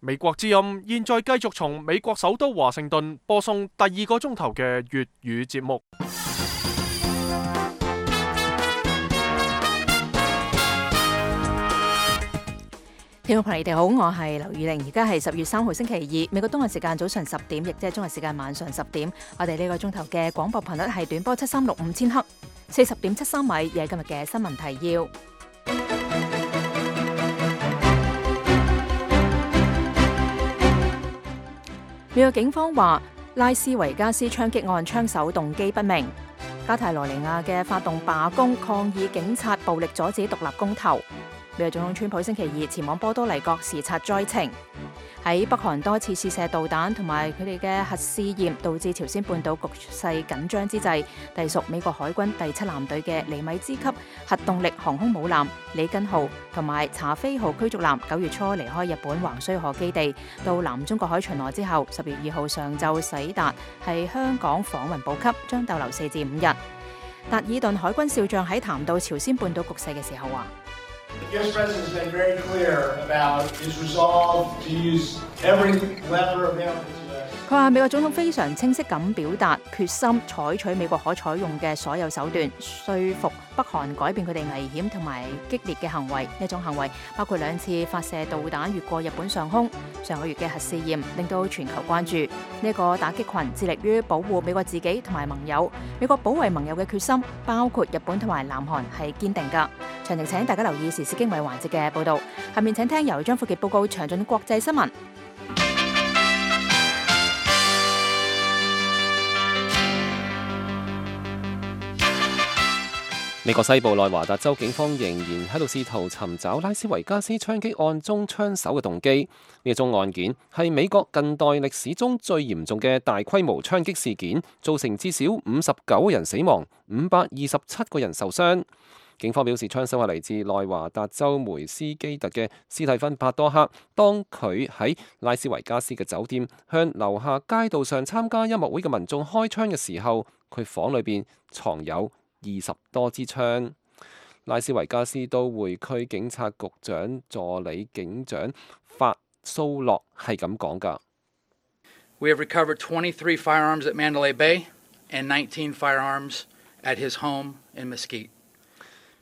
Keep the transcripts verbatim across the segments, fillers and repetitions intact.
美國之音現在繼續從美國首都華盛頓播送第二個鐘頭嘅粵語節目。聽眾朋友，你哋好，我係劉宇玲，而家係十月三號星期二，美國東岸時間早上十點，亦即係中國時間晚上十點。我哋呢個鐘頭嘅廣播頻率係短波七三六五千赫，四十點七三米，亦係今日嘅新聞提要。美國警方話，拉斯維加斯槍擊案槍手動機不明。加泰羅尼亞嘅發動罷工抗議警察暴力阻止獨立公投。美國總統川普星期二前往波多黎各視察災情。喺北韓多次試射導彈同埋佢哋嘅核試驗，導致朝鮮半島局勢緊張之際，隸屬美國海軍第七艦隊嘅尼米茲級核動力航空母艦里根號同埋查菲號驅逐艦九月初離開日本橫須賀基地，到南中國海巡邏之後，十月二號上晝駛達係香港訪問補給，將逗留四至五日。達爾頓海軍少將喺談到朝鮮半島局勢嘅時候話。The U S President has been very clear about his resolve to use every lever available to us. 佢話美國總統非常清晰咁表達決心，採取美國可採用嘅所有手段，說服北韓改變佢哋危險同埋激烈嘅行為。呢種行為包括兩次發射導彈越過日本上空。上個月嘅核試驗令到全球關注。呢個打擊群致力於保護美國自己同埋盟友。美國保衛盟友嘅決心，包括日本同埋南韓係堅定㗎。詳情請大家留意時事經緯環節嘅報導。下面請聽由張富傑報告詳盡國際新聞。美國西部內華達州警方仍然喺度試圖尋找拉斯維加斯槍擊案中槍手嘅動機。呢宗案件係美國近代歷史中最嚴重嘅大規模槍擊事件，造成至少五十九人死亡，五百二十七個人受傷。警方表示，槍手係嚟自內華達州梅斯基特嘅斯蒂芬帕多克。當佢喺拉斯維加斯嘅酒店向樓下街道上參加音樂會嘅民眾開槍嘅時候，佢房裏邊藏有二十多支槍。拉斯維加斯都會區警察局長助理警長法蘇洛係咁講㗎。We have recovered twenty-three firearms at Mandalay Bay and nineteen firearms at his home in Mesquite.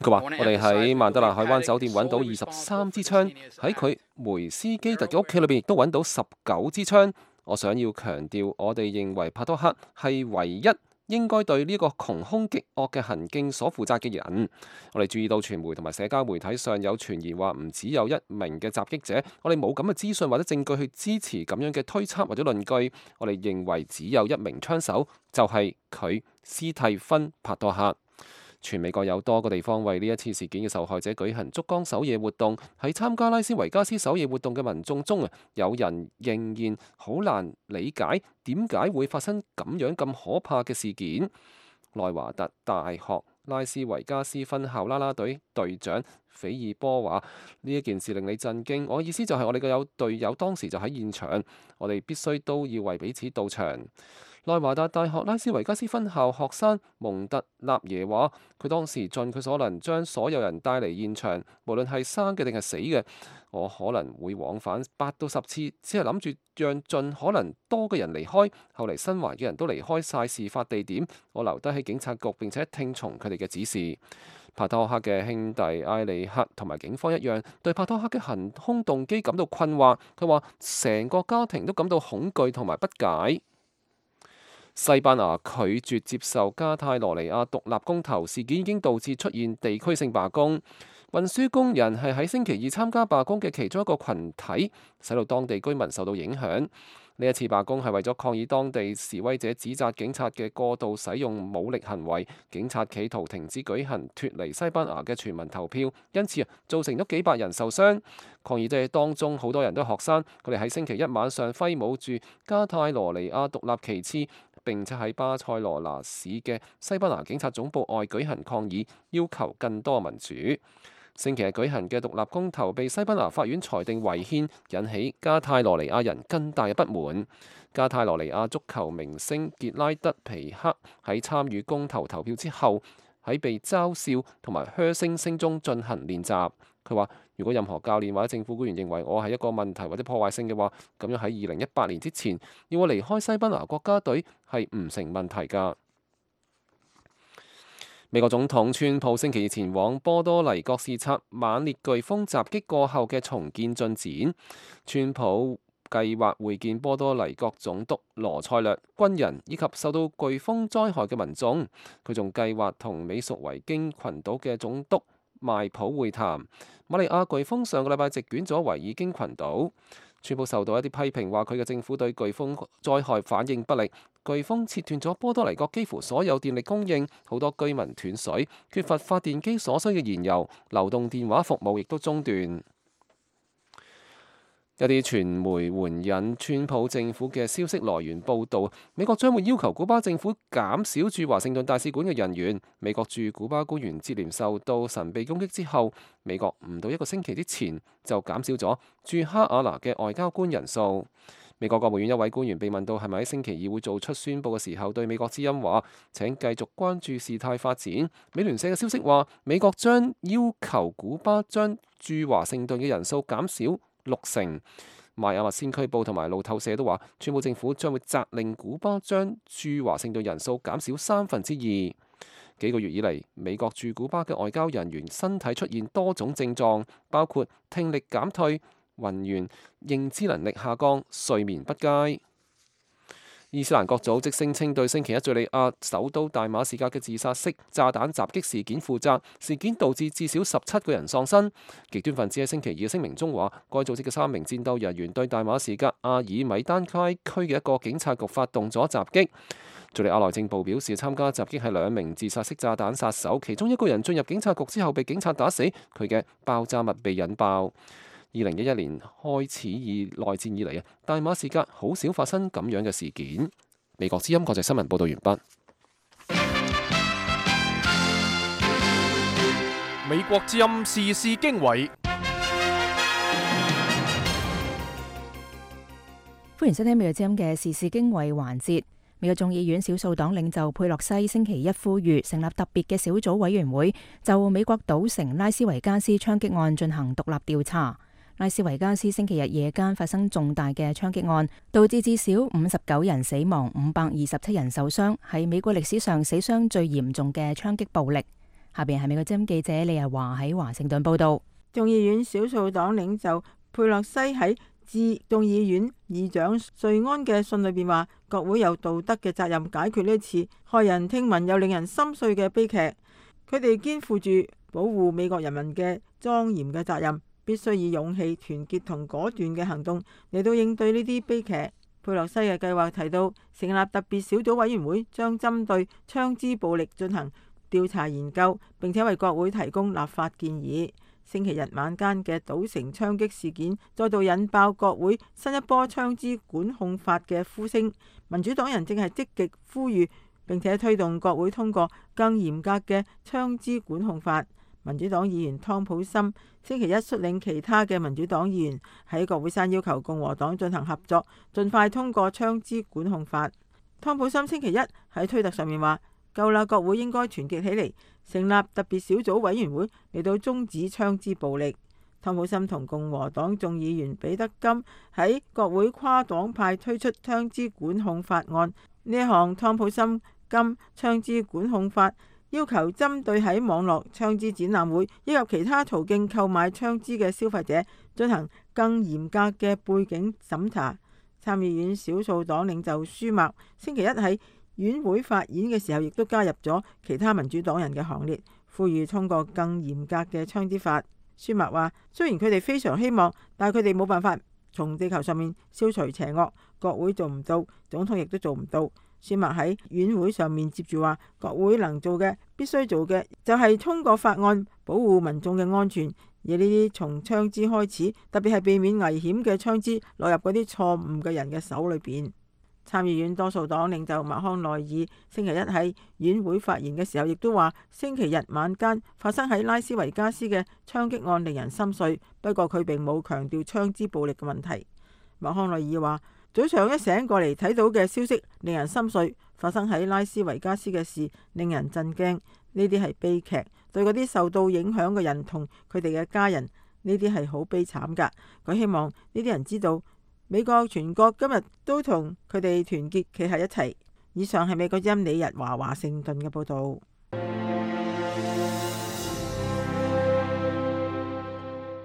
佢話：我哋喺曼德勒海灣酒店揾到二十三支槍，喺佢梅斯基特嘅屋企裏邊亦都揾到十九支槍。我想要強調，我哋認為帕多克係唯一應該對呢個窮兇極惡嘅行徑所負責嘅人。我哋注意到傳媒同埋社交媒體上有傳言話唔只有一名嘅襲擊者，我哋冇咁嘅資訊或者證據去支持咁樣嘅推測或者論據。我哋認為只有一名槍手，就係佢斯蒂芬帕多克。全美國有多個地方為呢一次事件嘅受害者舉行燭光守夜活動。喺參加拉斯維加斯守夜活動嘅民眾中啊，有人仍然好難理解點解會發生咁樣咁可怕嘅事件。內華達大學拉斯維加斯分校啦啦隊隊長斐爾波話：呢一件事令你震驚。我意思就係我哋嘅有隊友當時就喺現場，我哋必須都要為彼此到場。內華達大學拉斯維加斯分校學生蒙特納耶話：佢當時盡佢所能將所有人帶嚟現場，無論係生嘅定係死嘅。我可能會往返八到十次，只係諗住讓盡可能多嘅人離開。後嚟生還嘅人都離開晒事發地點，我留低喺警察局並且聽從佢哋嘅指示。帕多克嘅兄弟埃里克同埋警方一樣，對帕多克嘅行兇動機感到困惑。佢話成個家庭都感到恐懼同埋不解。西班牙拒絕接受加泰羅尼亞獨立公投事件，已經導致出現地區性罷工。運輸工人係喺星期二參加罷工嘅其中一個群體，使到當地居民受到影響。呢一次罷工係為咗抗議當地示威者指責警察嘅過度使用武力行為，警察企圖停止舉行脫離西班牙嘅全民投票，因此啊造成咗幾百人受傷。抗議者當中好多人都係學生，佢哋喺星期一晚上揮舞住加泰羅尼亞獨立旗幟，並且喺巴塞羅那市嘅西班牙警察總部外舉行抗議，要求更多民主。星期日舉行嘅獨立公投被西班牙法院裁定違憲，引起加泰羅尼亞人更大嘅不滿。加泰羅尼亞足球明星傑拉德皮克喺參與公投投票之後，喺被嘲笑同埋噓聲聲中進行練習。佢話：如果任何教練或者政府官員認為我係一個問題或者破壞性嘅話，咁樣喺二零一八年之前要我離開西班牙國家隊係唔成問題㗎。美國總統川普星期二前往波多黎各視察猛烈颶風襲擊過後嘅重建進展。川普計劃會見波多黎各總督羅塞略、軍人以及受到颶風災害嘅民眾。佢仲計劃同美屬維京群島嘅總督邁普會談。瑪利亞颶風上個禮拜席捲咗維爾京群島。川普受到一啲批評，話佢嘅政府對颶風災害反應不力。颶風切斷咗波多黎各幾乎所有電力供應，好多居民斷水，缺乏發電機所需嘅燃油，流動電話服務亦都中斷。一啲傳媒援引川普政府嘅消息來源報導，美國將會要求古巴政府減少駐華盛頓大使館嘅人員。美國駐古巴官員接連受到神秘攻擊之後，美國唔到一個星期之前就減少咗駐哈瓦那嘅外交官人數。美國國務院一位官員被問到係咪喺星期二會做出宣佈嘅時候，對美國之音話：請繼續關注事態發展。美聯社嘅消息話，美國將要求古巴將駐華盛頓嘅人數減少六成。邁阿密先驅報同埋路透社都話，川普政府將會責令古巴將駐華盛頓人數減少三分之二。幾個月以嚟，美國駐古巴嘅外交人員身體出現多種症狀，包括聽力減退、暈眩、認知能力下降、睡眠不佳。伊斯蘭國組織聲稱對星期一敘利亞首都大馬士革嘅自殺式炸彈襲擊事件負責，事件導致至少十七個人喪生。極端分子喺星期二嘅聲明中話，該組織嘅三名戰鬥人員對大馬士革阿爾米丹街區嘅一個警察局發動咗襲擊。敘利亞內政部表示，參加襲擊係兩名自殺式炸彈殺手，其中一個人進入警察局之後被警察打死，佢嘅爆炸物被引爆。二零一一年開始以內戰以嚟啊，大馬士革好少發生咁樣嘅事件。美國之音國際新聞報道完畢。美國之音時事經緯，歡迎收聽美國之音嘅時事經緯環節。美國眾議院少數黨領袖佩洛西星期一呼籲成立特別嘅小組委員會，就美國賭城拉斯維加斯槍擊案進行獨立調查。拉斯維加斯星期日夜間發生重大嘅槍擊案，導致至少五十九人死亡，五百二十七人受傷，係美國歷史上死傷最嚴重嘅槍擊暴力。下邊係美國之音記者李日華喺華盛頓報道。眾議院少數黨領袖佩洛西喺致眾議院議長瑞安嘅信裏邊話，國會有道德嘅責任解決呢一次駭人聽聞又令人心碎嘅悲劇。佢哋肩負住保護美國人民嘅莊嚴嘅責任，必須以勇氣、團結同果斷嘅行動嚟到應對呢啲悲劇。佩洛西嘅計劃提到，成立特別小組委員會，將針對槍支暴力進行調查研究，並且為國會提供立法建議。星期日晚間嘅賭城槍擊事件再度引爆國會新一波槍支管控法嘅呼聲。民主黨人正係積極呼籲並且推動國會通過更嚴格嘅槍支管控法。民主黨議員湯普森星期一率領其他嘅民主黨議員喺國會山要求共和黨進行合作，盡快通過槍支管控法。湯普森星期一喺推特上面話：夠啦，國會應該團結起嚟，成立特別小組委員會嚟到終止槍支暴力。湯普森同共和黨眾議員彼得金喺國會跨黨派推出槍支管控法案。呢一項湯普森金槍支管控法要求針對喺網絡槍支展覽會以及其他途徑購買槍支嘅消費者進行更嚴格嘅背景審查。參議院少數黨領袖舒默星期一喺院會發言嘅時候，亦都加入咗其他民主黨人嘅行列，呼籲通過更嚴格嘅槍支法。舒默話：雖然佢哋非常希望，但係佢哋冇辦法從地球上面消除邪惡，國會做唔到，總統亦都做唔到。舒默喺院會上面接住話：國會能做嘅、必須做嘅，就係通過法案保護民眾嘅安全，而呢啲從槍支開始，特別係避免危險嘅槍支落入嗰啲錯誤嘅人嘅手裏邊。參議院多數黨領袖麥康奈爾星期一喺院會發言嘅時候，亦都話星期日晚間發生喺拉斯維加斯嘅槍擊案令人心碎，不過佢並冇強調槍支暴力嘅問題。麥康奈爾話：早上一醒過嚟睇到嘅消息令人心碎，發生喺拉斯維加斯嘅事令人震驚，呢啲係悲劇，對嗰啲受到影響嘅人同佢哋嘅家人呢啲係好悲慘噶。佢希望呢啲人知道，美國全國今日都同佢哋團結企喺一齊。以上係美國音理日華華盛頓嘅報導。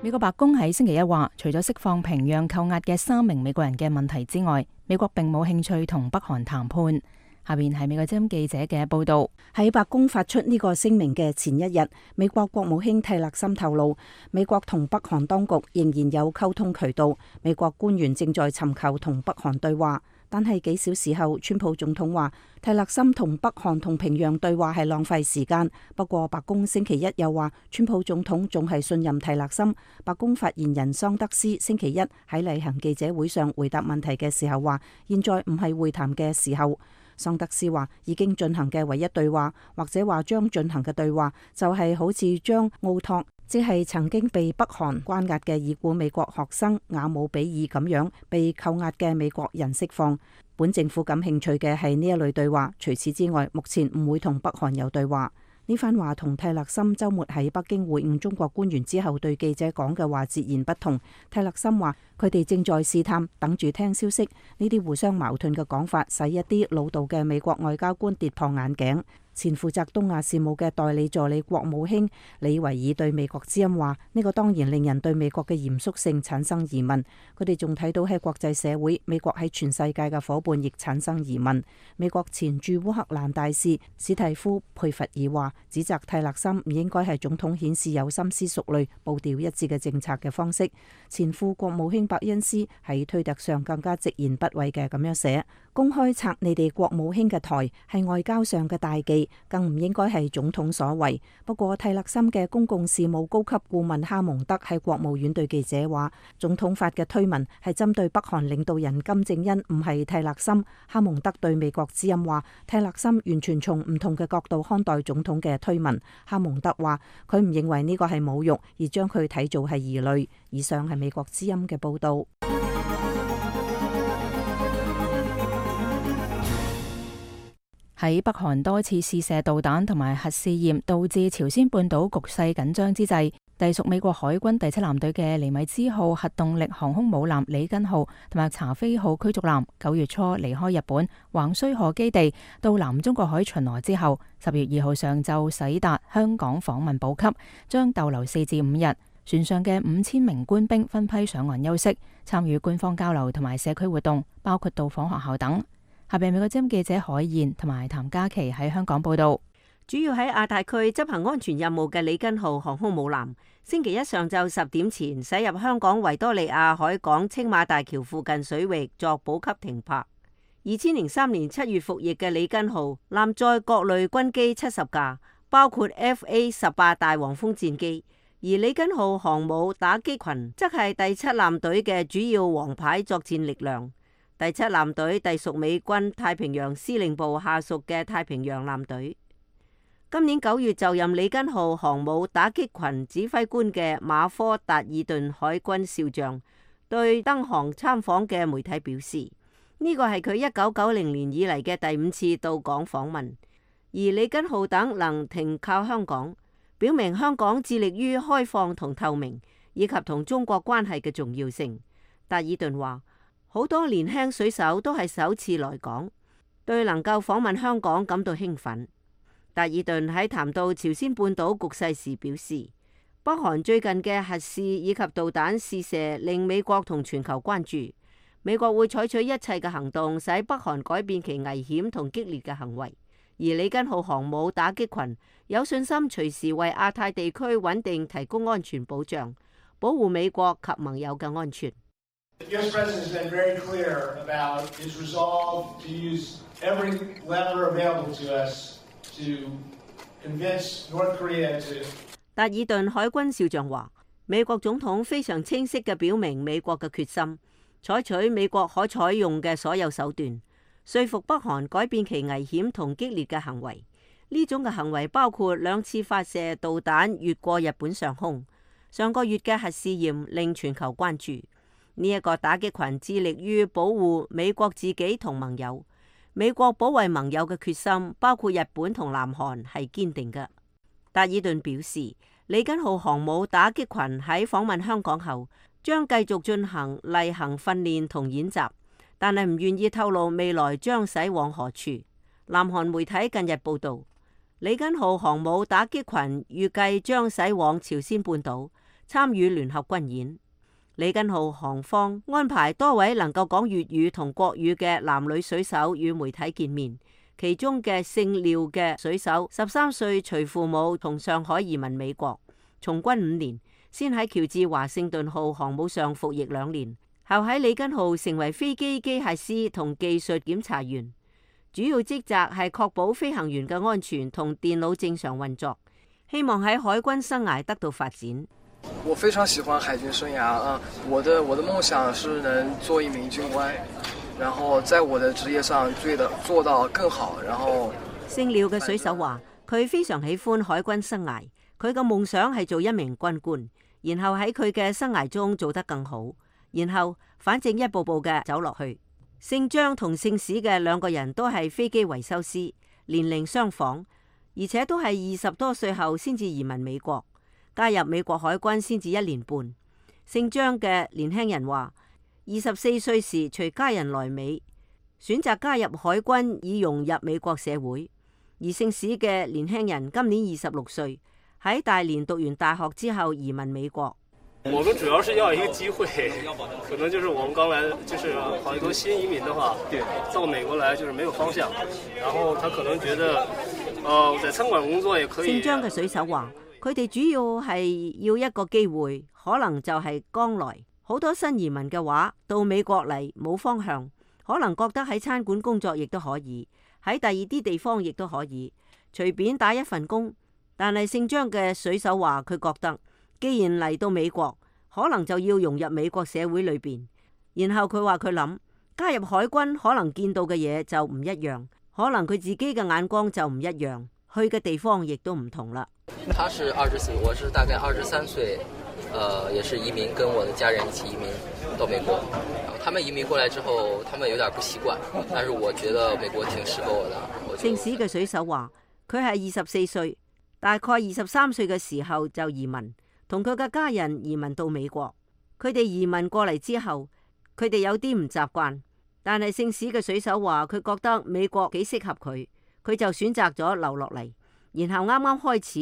美國白宮喺星期一話，除咗釋放平壤扣押嘅三名美國人嘅問題之外，美國並冇興趣同北韓談判。下邊係美國之音記者嘅報導。喺白宮發出呢個聲明嘅前一日，美國國務卿蒂勒森透露，美國同北韓當局仍然有溝通渠道，美國官員正在尋求同北韓對話。但係幾小時後，川普總統話蒂勒森同北韓同平壤對話係浪費時間。不過白宮星期一又話，川普總統仲係信任蒂勒森。白宮發言人桑德斯星期一喺例行記者會上回答問題嘅時候話，現在唔係會談嘅時候。桑德斯話，已經進行嘅唯一對話，或者話將進行嘅對話，就係好似將奧托，即係曾經被北韓關押嘅已故美國學生雅姆比爾咁樣被扣押嘅美國人釋放。本政府感興趣嘅係呢一類對話，除此之外，目前唔會同北韓有對話。呢番話同蒂勒森週末喺北京會晤中國官員之後對記者講嘅話截然不同。蒂勒森話佢哋正在試探，等住聽消息。呢啲互相矛盾嘅講法使一啲老道嘅美國外交官跌破眼鏡。前負責東亞事務嘅代理助理國務卿李維爾對美國之音話：呢個當然令人對美國嘅嚴肅性產生疑問。佢哋仲睇到喺國際社會，美國喺全世界嘅夥伴亦產生疑問。美國前駐烏克蘭大使史蒂夫佩弗爾話：指責蒂勒森唔應該係總統顯示有深思熟慮、步調一致嘅政策嘅方式。前副國務卿伯恩斯喺推特上更加直言不諱嘅咁樣寫：公開拆你哋國務卿嘅台係外交上嘅大忌，更唔應該係總統所為。不過蒂勒森嘅公共事務高級顧問哈蒙德喺國務院對記者話，總統發嘅推文係針對北韓領導人金正恩，唔係蒂勒森。哈蒙德對美國之音話，蒂勒森完全從唔同嘅角度看待總統嘅推文。哈蒙德話佢唔認為呢個係侮辱，而將佢睇做係疑慮。以上係美國之音嘅報道。喺北韓多次試射導彈同埋核試驗，導致朝鮮半島局勢緊張之際，隸屬美國海軍第七艦隊嘅尼米茲號核動力航空母艦里根號同埋查菲號驅逐艦，九月初離開日本橫須賀基地到南中國海巡邏之後，十月二號上晝駛達香港訪問補給，將逗留四至五日。船上嘅五千名官兵分批上岸休息，參與官方交流同埋社區活動，包括到訪學校等。下邊美國之音記者海燕同埋譚嘉琪喺香港報道。主要喺亞太區執行安全任務嘅里根號航空母艦，星期一上晝十點前駛入香港維多利亞海港青馬大橋附近水域作補給停泊。二千零三年七月服役嘅里根號艦載各類軍機七十架，包括 F A 十八大黃蜂戰機，而里根號航母打擊群則係第七艦隊嘅主要王牌作戰力量。第七艦隊隸屬美軍太平洋司令部下屬嘅太平洋艦隊。今年九月就任里根號航母打擊群指揮官嘅馬科達爾頓海軍少將對登航參訪嘅媒體表示，呢個係佢一九九零年以嚟嘅第五次到港訪問。而里根號等能停靠香港，表明香港致力於開放同透明，以及同中國關係嘅重要性。達爾頓話，好多年輕水手都係首次來港，對能夠訪問香港感到興奮。達爾頓喺談到朝鮮半島局勢時表示，北韓最近嘅核試以及導彈試射令美國同全球關注，美國會採取一切嘅行動，使北韓改變其危險同激烈嘅行為。而里根號航母打擊群有信心隨時為亞太地區穩定提供安全保障，保護美國及盟友嘅安全。The U S President has been very clear about his resolve to use every lever available to us to convince North Korea to. 達爾頓海軍少將話，美國總統非常清晰嘅表明美國嘅決心，採取美國可採用嘅所有手段，說服北韓改變其危險同激烈嘅行為。呢種嘅行為包括兩次發射導彈越過日本上空，上個月嘅核試驗令全球關注。呢一個打擊群致力於保護美國自己同盟友，美國保衛盟友嘅決心，包括日本同南韓係堅定嘅。達爾頓表示，李根號航母打擊群喺訪問香港後，將繼續進行例行訓練同演習，但係唔願意透露未來將駛往何處。南韓媒體近日報道，李根號航母打擊群預計將駛往朝鮮半島參與聯合軍演。李根號航方安排多位能夠講粵語同國語嘅男女水手與媒體見面，其中嘅姓廖嘅水手十三歲隨父母從上海移民美國，從軍五年，先喺喬治華盛頓號航母上服役兩年，後喺李根號成為飛機機械師同技術檢查員，主要職責係確保飛行員嘅安全同電腦正常運作，希望喺海軍生涯得到發展。我非常喜歡海軍生涯啊！我的我的夢想是能做一名軍官，然後在我的職業上做到做到更好。然後姓廖嘅水手話，佢非常喜歡海軍生涯，佢嘅夢想係做一名軍官。然後喺佢嘅生涯中做得更好，然後反正一步步嘅走落去。姓張同姓史嘅兩個人都係飛機維修師，年齡相仿，而且都係二十多歲後先至移民美國，加入美國海軍先至一年半。姓張嘅年輕人話，二十四歲時隨家人來美，選擇加入海軍以融入美國社會。而姓史嘅年輕人今年二十六歲。喺大連讀完大學之後移民美國。我們主要是要一個機會，可能就是我們剛來，就是好多新移民的話，到美國來就是沒有方向，然後他可能覺得，呃，在餐館工作也可以。姓張嘅水手話，佢哋主要係要一個機會，可能就係剛來。好多新移民嘅話，到美國嚟冇方向，可能覺得喺餐館工作亦都可以，喺第二啲地方亦都可以，隨便打一份工。但係姓張嘅水手話，佢覺得既然嚟到美國，可能就要融入美國社會裏邊。然後佢話佢諗加入海軍，可能見到嘅嘢就唔一樣，可能佢自己嘅眼光就唔一樣，去嘅地方亦都唔同啦。他是二十歲，我是大概二十三歲，呃，也是移民，跟我的家人一起移民到美國。他們移民過來之後，他們有點不習慣，但是我覺得美國挺適合我的。姓史嘅水手話，佢係二十四歲。大概二十三歲嘅時候就移民，同佢嘅家人移民到美國。佢哋移民過嚟之後，佢哋有啲唔習慣，但係姓史嘅水手話佢覺得美國幾適合佢，佢就選擇咗留落嚟。然後啱啱開始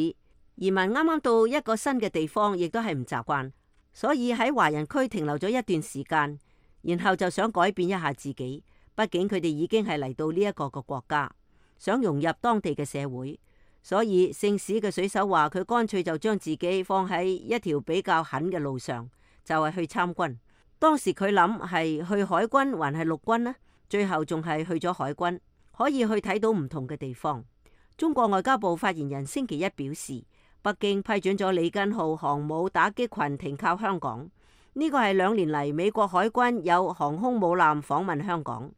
移民，啱啱到一個新嘅地方，亦都係唔習慣，所以喺華人區停留咗一段時間，然後就想改變一下自己。畢竟佢哋已經係嚟到呢一個個國家，想融入當地嘅社會。所以姓史嘅水手話佢乾脆就將自己放喺一條比較狠嘅路上，就係去參軍。當時佢諗係去海軍還係陸軍呢？最後仲係去咗海軍，可以去睇到唔同嘅地方。中國外交部發言人星期一表示，北京批准咗李根號航母打擊群停靠香港，呢個係兩年嚟美國海軍有航空母艦訪問香港。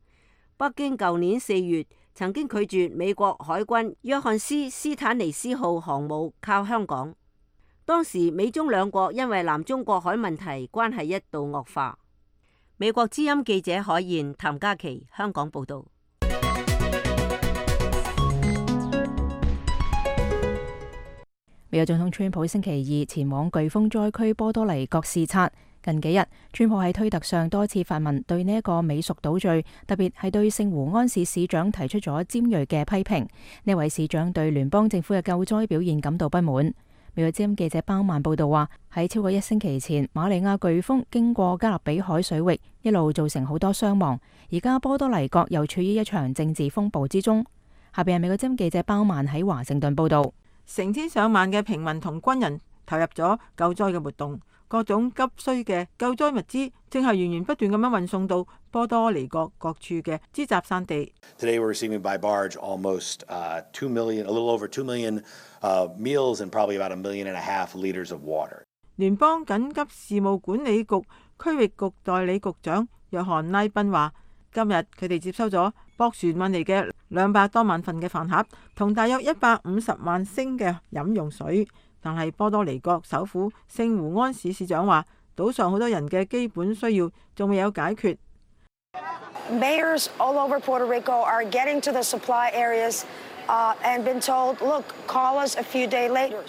北京舊年四月曾經拒絕美國海軍約翰斯斯坦尼斯號航母靠香港，當時美中兩國因為南中國海問題關係一度惡化。美國之音記者海燕、譚嘉琪香港報道。美國總統川普星期二前往颶風災區波多黎各視察。近幾日，川普喺推特上多次發文對呢一個美屬島嶼，特別係對聖胡安市市長提出咗尖銳嘅批評。呢位市長對聯邦政府嘅救災表現感到不滿。美國之音記者包曼報道話，喺超過一星期前，瑪利亞颶風經過加勒比海水域，一路造成好多傷亡。而家波多黎各又處於一場政治風暴之中。下邊係美國之音記者包曼喺華盛頓報道。成千上萬嘅平民同軍人投入咗救災嘅活動。各種急需嘅救災物資正係源源不斷咁樣運送到波多黎各各處嘅支集散地。Today we're receiving by barge almost uh, two million, a little over two million uh, meals and probably about a million and a half liters of water. 聯邦緊急事務管理局區域局代理局長約翰拉賓話，今日佢哋接收咗駁船運嚟嘅兩百多萬份嘅飯盒，同大約一百五十萬升嘅飲用水。但係波多黎各首府聖胡安市市長話，島上好多人嘅基本需要仲未有解決。Mayors all over Puerto Rico are getting to the supply areas uh, and been told, look, call us a few days later.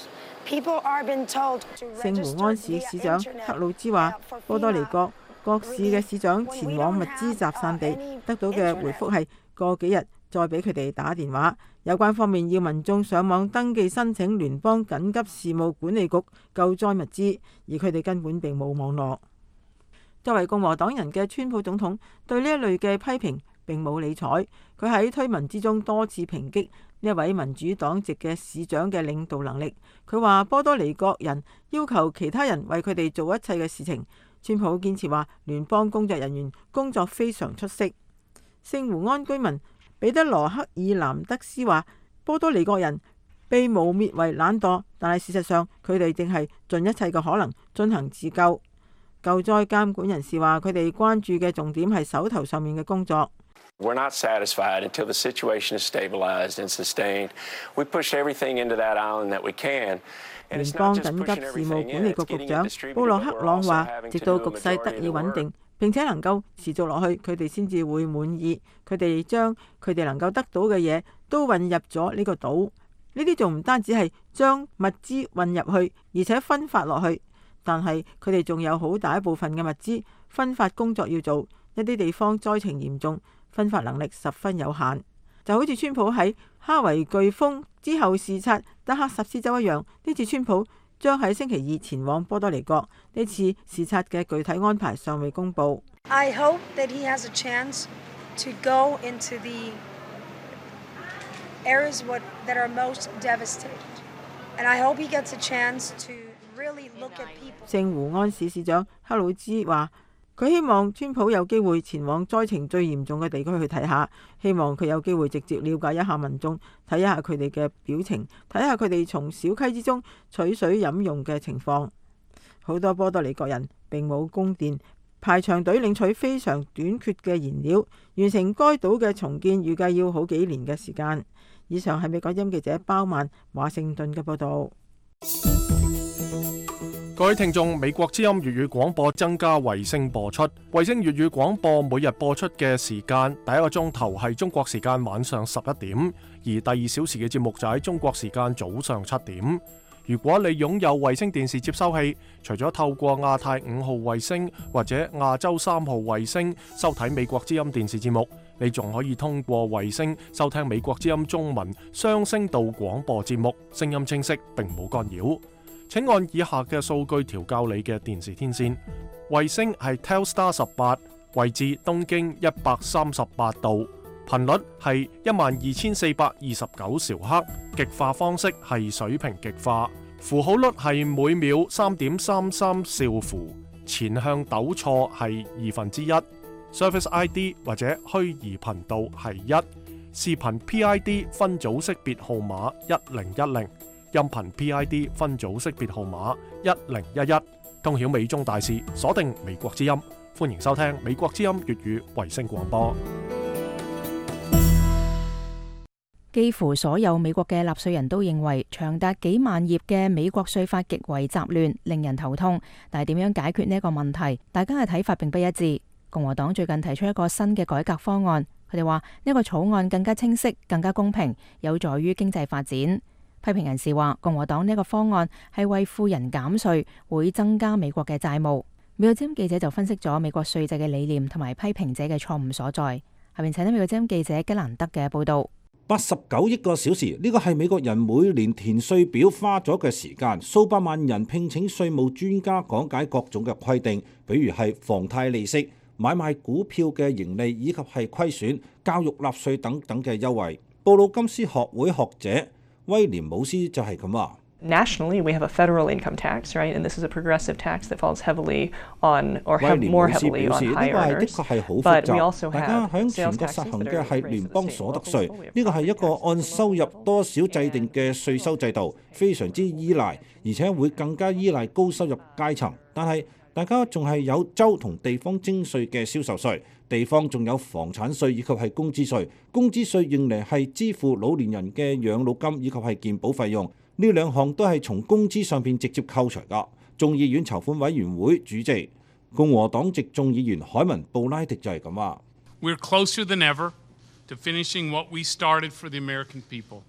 People are being told to 聖胡安市市長克魯茲話，波多黎各各市嘅市長前往物資集散地得到嘅回覆係過幾日再俾佢哋打電話。有關方面要民眾上網登記申請聯邦緊急事務管理局救災物資，而佢哋根本並冇網絡。作為共和黨人嘅川普總統對呢一類嘅批評並冇理睬，佢喺推文之中多次抨擊呢一位民主黨籍嘅市長嘅領導能力。佢話波多黎各人要求其他人為佢哋做一切嘅事情。川普堅持話聯邦工作人員工作非常出色。聖胡安居民彼得羅克爾南德斯話，波多黎各人被污蔑為懶惰，但係事實上佢哋正係盡一切嘅可能進行自救。救災監管人士話，佢哋關注嘅重點係手頭上面嘅工作。We're not satisfied until the situation is stabilized and sustained. We push everything into that island that we can. 聯邦緊急事務管理局局長布洛克朗話，直到局勢得以穩定並且能夠持續落去，佢哋先至會滿意。佢哋將佢哋能夠得到嘅嘢都運入咗呢個島。呢啲仲唔單止係將物資運入去，而且分發落去。但係佢哋仲有好大一部分嘅物資分發工作要做。一啲地方災情嚴重，分發能力十分有限。就好似川普喺哈維颶風之後視察德克薩斯州一樣，呢次川普將喺星期二前往波多黎各。呢次視察嘅具體安排尚未公佈。I hope that he has a chance to go into the areas what, that are most devastated. And I hope he gets a chance to really look at people. 聖胡安市市長克魯茲話，佢希望川普有機會前往災情最嚴重嘅地區去睇下，希望佢有機會直接了解一下民眾，睇一下佢哋嘅表情，睇下佢哋從小溪之中取水飲用嘅情況。好多波多黎各人並冇供電，排長隊領取非常短缺嘅燃料，完成該島嘅重建預計要好幾年嘅時間。以上係美國之音記者包曼華盛頓嘅報導。各位聽眾，美國之音粵語廣播增加衛星播出。衛星粵語廣播每日播出嘅時間，第一個鐘頭係中國時間晚上十一點，而第二小時嘅節目就喺中國時間早上七點。如果你擁有衛星電視接收器，除咗透過亞太五號衛星或者亞洲三號衛星收睇美國之音電視節目，你仲可以通過衛星收聽美國之音中文雙聲道廣播節目，聲音清晰並冇干擾。請按以下嘅數據調校你嘅電視天線。衛星係 Telstar 十八，位置東經一百三十八度，頻率係一萬二千四百二十九兆赫，極化方式係水平極化，符號率係每秒三點三三兆符，前向抖錯係二分之一，Service I D 或者虛擬頻道係一，視頻 P I D 分組識別號碼一零一零。音頻 P I D 分組識別號碼一零一一，通曉美中大事，鎖定美國之音，歡迎收聽美國之音粵語衛星廣播。幾乎所有美國嘅納稅人都認為長達幾萬頁嘅美國稅法極為雜亂，令人頭痛。但係點樣解決呢一個問題，大家嘅睇法並不一致。共和黨最近提出一個新嘅改革方案，佢哋話呢個草案更加清晰、更加公平，有助於經濟發展。批評人士話，共和黨呢個方案係為富人減稅，會增加美國嘅債務。美國之音記者就分析咗美國稅制嘅理念同埋批評者嘅錯誤所在。下面請睇美國之音記者吉蘭德嘅報導。八十九億個小時，呢個係美國人每年填稅表花咗嘅時間。數百萬人聘請稅務專家講解各種嘅規定，比如係房貸利息、買賣股票嘅盈利以及係虧損、教育納稅等等嘅優惠。布魯金斯學會學者威廉姆斯就係咁話。Nationally, we have a federal income tax, right? And this is a progressive tax that falls heavily on, or have more heavily on high earners. But we also have 大家響全國實行嘅係聯邦所得稅，呢個係一個按收入多少制定嘅稅收制度，非常之依賴，而且會更加依賴高收入階層。但係大家仲係有州同地方徵稅嘅銷售稅。地方仲有房產稅以及係工資稅，工資稅用嚟係支付老年人嘅養老金以及係健保費用，呢兩項都係從工資上邊直接扣除㗎。眾議院籌款委員會主席共和黨籍眾議員海文布拉迪就係咁話。We're closer than ever to finishing what we started for the American people.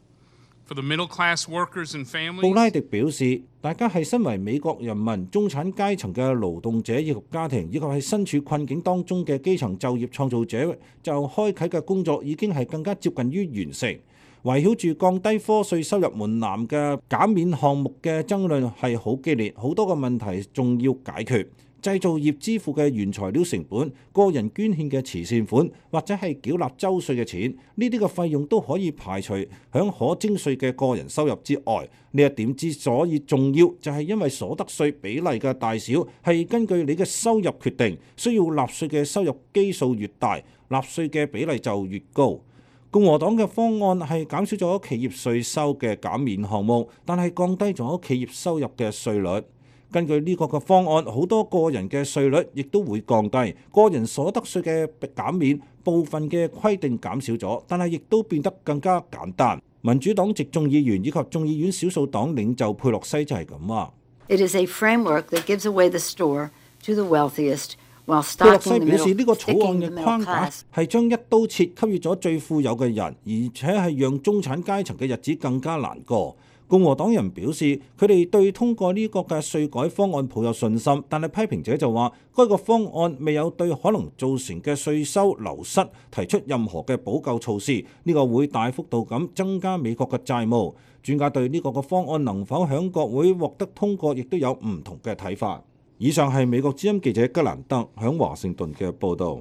布拉迪表示，大家係身為美國人民、中產階層嘅勞動者以及家庭，以及係身處困境當中嘅基層就業創造者，就開啓嘅工作已經係更加接近於完成。圍繞住降低課稅收入門檻嘅減免項目嘅爭論係好激烈，好多個問題仲要解決。製造業支付嘅原材料成本、個人捐獻嘅慈善款，或者係繳納州稅嘅錢，呢啲嘅費用都可以排除響可徵稅嘅個人收入之外。呢一點之所以重要，就係因為所得稅比例嘅大小係根據你嘅收入決定，需要納稅嘅收入基數越大，納稅嘅比例就越高。共和黨嘅方案係減少咗企業稅收嘅減免項目，但係降低咗企業收入嘅稅率。根據呢個嘅方案，好多個人嘅稅率亦都會降低，個人所得稅嘅減免部分嘅規定減少咗，但係亦都變得更加簡單。民主黨籍眾議員以及眾議院少數黨領袖佩洛西就係咁話。It is a framework that gives away the store to the wealthiest, while 佩洛 stocking 西 the 表示，呢 middle, 個草案 sticking 嘅 the 框 middle 架 class. 係將一刀切給予咗最富有嘅人，而且係讓中產階層嘅日子更加難過。共和黨人表示，佢哋對通過呢個嘅稅改方案抱有信心，但係批評者就話，該個方案未有對可能造成嘅稅收流失提出任何嘅補救措施，呢個會大幅度咁增加美國嘅債務。專家對呢個嘅方案能否響國會獲得通過，亦都有唔同嘅睇法。以上係美國之音記者吉蘭德響華盛頓嘅報導。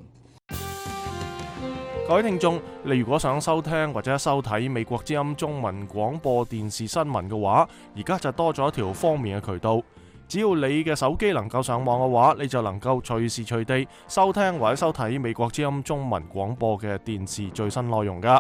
各位聽眾，你如果想收聽或者收睇美國之音中文廣播電視新聞嘅話，而家就多咗一條方便嘅渠道。只要你嘅手機能夠上網嘅話，你就能夠隨時隨地收聽或者收睇美國之音中文廣播嘅電視最新內容噶。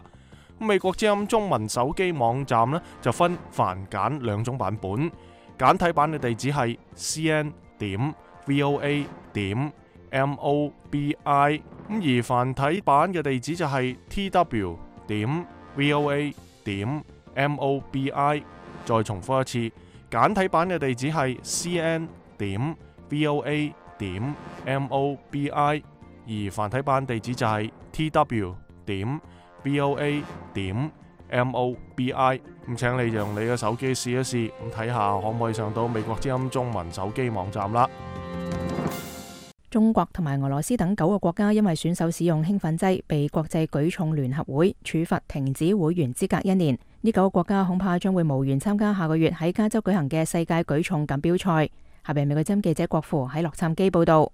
美國之音中文手機網站呢，就分繁簡兩種版本，簡體版嘅地址係 c n 點 v o a 點 m o b i， 咁而繁體版嘅地址就係 t w 點 v o a 點 m o b i。 再重複一次，簡體版嘅地址係 c n 點 v o a 點 m o b i， 而繁體版地址就係 t w 點 v o a 點 m o b i。 咁請你用你嘅手機試一試，咁睇下可唔可以上到美國之音中文手機網站啦。中國同埋俄羅斯等九個國家因為選手使用興奮劑，被國際舉重聯合會處罰停止會員資格一年。呢九個國家恐怕將會無緣參加下個月喺加州舉行嘅世界舉重錦標賽。下邊美國之音記者郭芙喺洛杉磯報道。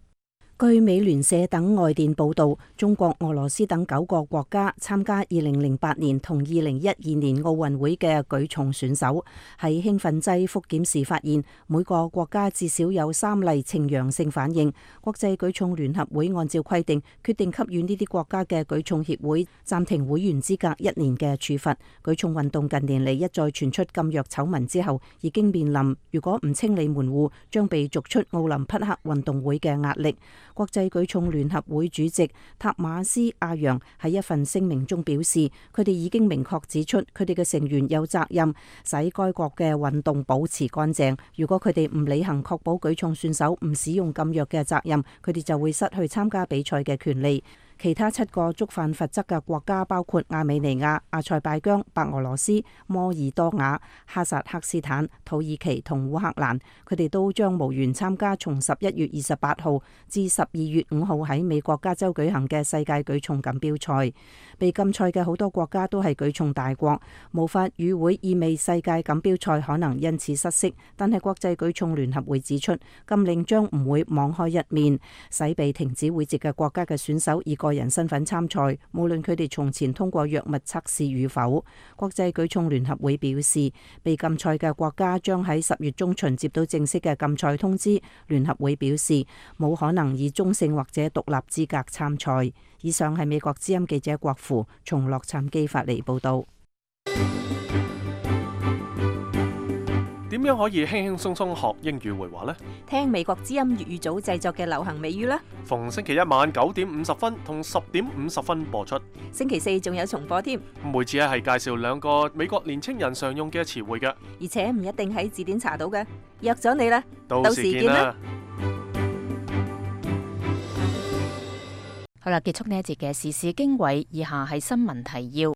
據美聯社等外電報道，中國、俄羅斯等九個國家參加二零零八年同二零一二年奧運會嘅舉重選手喺興奮劑複檢時發現，每個國家至少有三例呈陽性反應。國際舉重聯合會按照規定，決定給予呢啲國家嘅舉重協會暫停會員資格一年嘅處罰。舉重運動近年嚟一再傳出禁藥醜聞之後，已經面臨如果唔清理門戶，將被逐出奧林匹克運動會嘅壓力。國際舉重聯合會主席塔馬斯阿揚喺一份聲明中表示，佢哋已經明確指出，佢哋嘅成員有責任使該國嘅運動保持乾淨。如果佢哋唔履行確保舉重選手唔使用禁藥嘅責任，佢哋就會失去參加比賽嘅權利。其他七個觸犯罰則嘅國家包括亞美尼亞、阿塞拜疆、白俄羅斯、摩爾多瓦、哈薩克斯坦、土耳其同烏克蘭，佢哋都將無緣參加從十一月二十八號至十二月五號喺美國加州舉行嘅世界舉重錦標賽。被禁賽嘅好多國家都係舉重大國，無法與會意味世界錦標賽可能因此失色。但係國際舉重聯合會指出，禁令將唔會網開一面，使被停止會籍嘅國家嘅選手以個人身份參賽，無論佢哋從前通過藥物測試與否。國際舉重聯合會表示，被禁賽嘅國家將喺十月中旬接到正式嘅禁賽通知。聯合會表示，冇可能以中性或者獨立資格參賽。以上係美國之音記者郭芙從洛杉磯發嚟報道。點樣可以輕輕鬆鬆學英語會話呢？聽美國之音粵語組製作嘅流行美語啦。逢星期一晚九點五十分同十點五十分播出。星期四仲有重播添。每次咧係介紹兩個美國年青人常用嘅詞彙嘅，而且唔一定喺字典查到嘅。約咗你啦，到時見啦。好啦，結束呢一節嘅時事經緯，以下係新聞提要。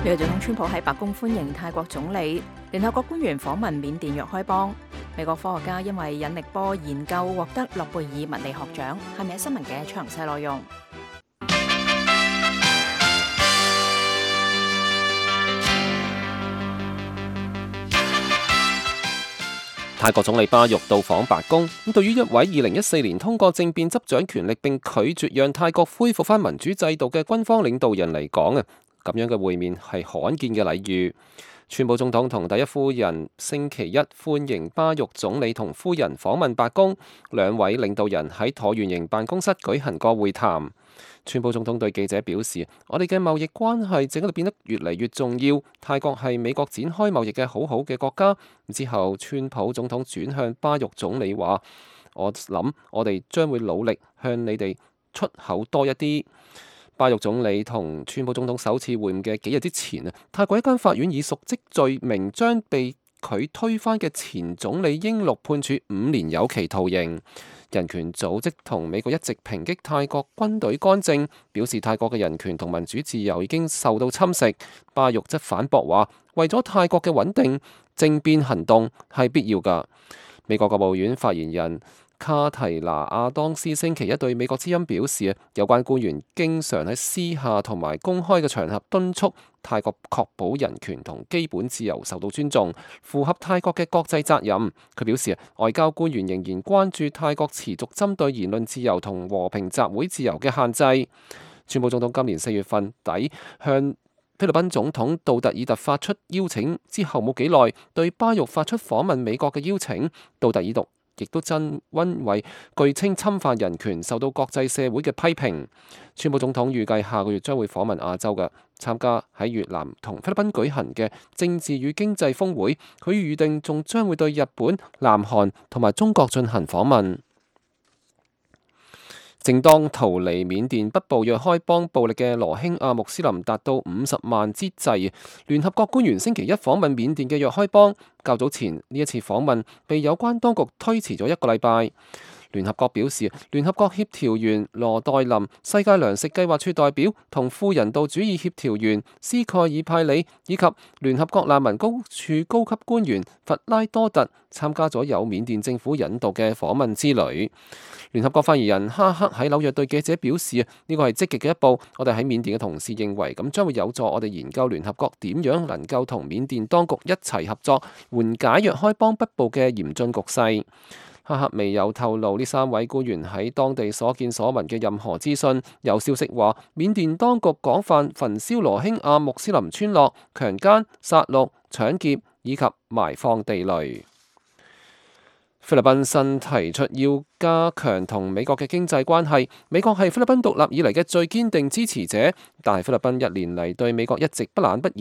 美國總統川普喺白宮歡迎泰國總理。聯合國官員訪問緬甸若開邦。美國科學家因為引力波研究獲得諾貝爾物理學獎。係咪新聞嘅詳細內容？泰國總理巴育到訪白宮，咁對於一位二零一四年通過政變執掌權力並拒絕讓泰國恢復翻民主制度嘅軍方領導人嚟講啊，咁樣嘅會面係罕見嘅禮遇。川普總統同第一夫人星期一歡迎巴育總理同夫人訪問白宮，兩位領導人喺橢圓形辦公室舉行過會談。川普總統對記者表示：我哋嘅貿易關係正喺度變得越嚟越重要。泰國係美國展開貿易嘅好好嘅國家。之後，川普總統轉向巴育總理話：我諗我哋將會努力向你哋出口多一啲。巴育總理同川普總統首次會晤嘅幾日之前啊，泰國一間法院以瀆職罪名將被佢推翻嘅前總理英祿判處五年有期徒刑。人權組織同美國一直抨擊泰國軍隊干政，表示泰國嘅人權同民主自由已經受到侵蝕。巴育則反駁話，為咗泰國嘅穩定，政變行動係必要㗎。美國國務院發言人卡提拿亞當斯星期一對美國之音表示，有關官員經常喺私下同埋公開嘅場合敦促泰國確保人權同基本自由受到尊重，符合泰國嘅國際責任。佢表示，外交官員仍然關注泰國持續針對言論自由同和平集會自由嘅限制。川普總統今年四月份底向菲律賓總統杜特爾特發出邀請之後冇幾耐，對巴育發出訪問美國嘅邀請。杜特爾特亦都真因為據稱侵犯人權，受到國際社會嘅批評。川普總統預計下個月將會訪問亞洲嘅，參加喺越南同菲律賓舉行嘅政治與經濟峰會。佢預定仲將會對日本、南韓同埋中國進行訪問。正當逃離緬甸北部若開邦暴力嘅羅興亞穆斯林達到五十萬之際，聯合國官員星期一訪問緬甸嘅若開邦。較早前呢一次訪問被有關當局推遲咗一個禮拜。聯合國表示，聯合國協調員羅代林、世界糧食計劃處代表同副人道主義協調員斯蓋爾派里以及聯合國難民高處高級官員弗拉多特參加咗由緬甸政府引導嘅訪問之旅。聯合國發言人哈克喺紐約對記者表示，呢個係積極嘅一步。我哋喺緬甸嘅同事認為，咁將會有助我哋研究聯合國點樣能夠同緬甸當局一齊合作，緩解若開邦北部嘅嚴峻局勢。哈克未有透露呢三位官員喺當地所見所聞嘅任何資訊。有消息話，緬甸當局廣泛焚燒羅興亞穆斯林村落，強姦、殺戮、搶劫以及埋放地雷。菲律賓新提出要加強同美國嘅經濟關係，美國係菲律賓獨立以嚟嘅最堅定支持者，但係菲律賓一年嚟對美國一直不冷不熱。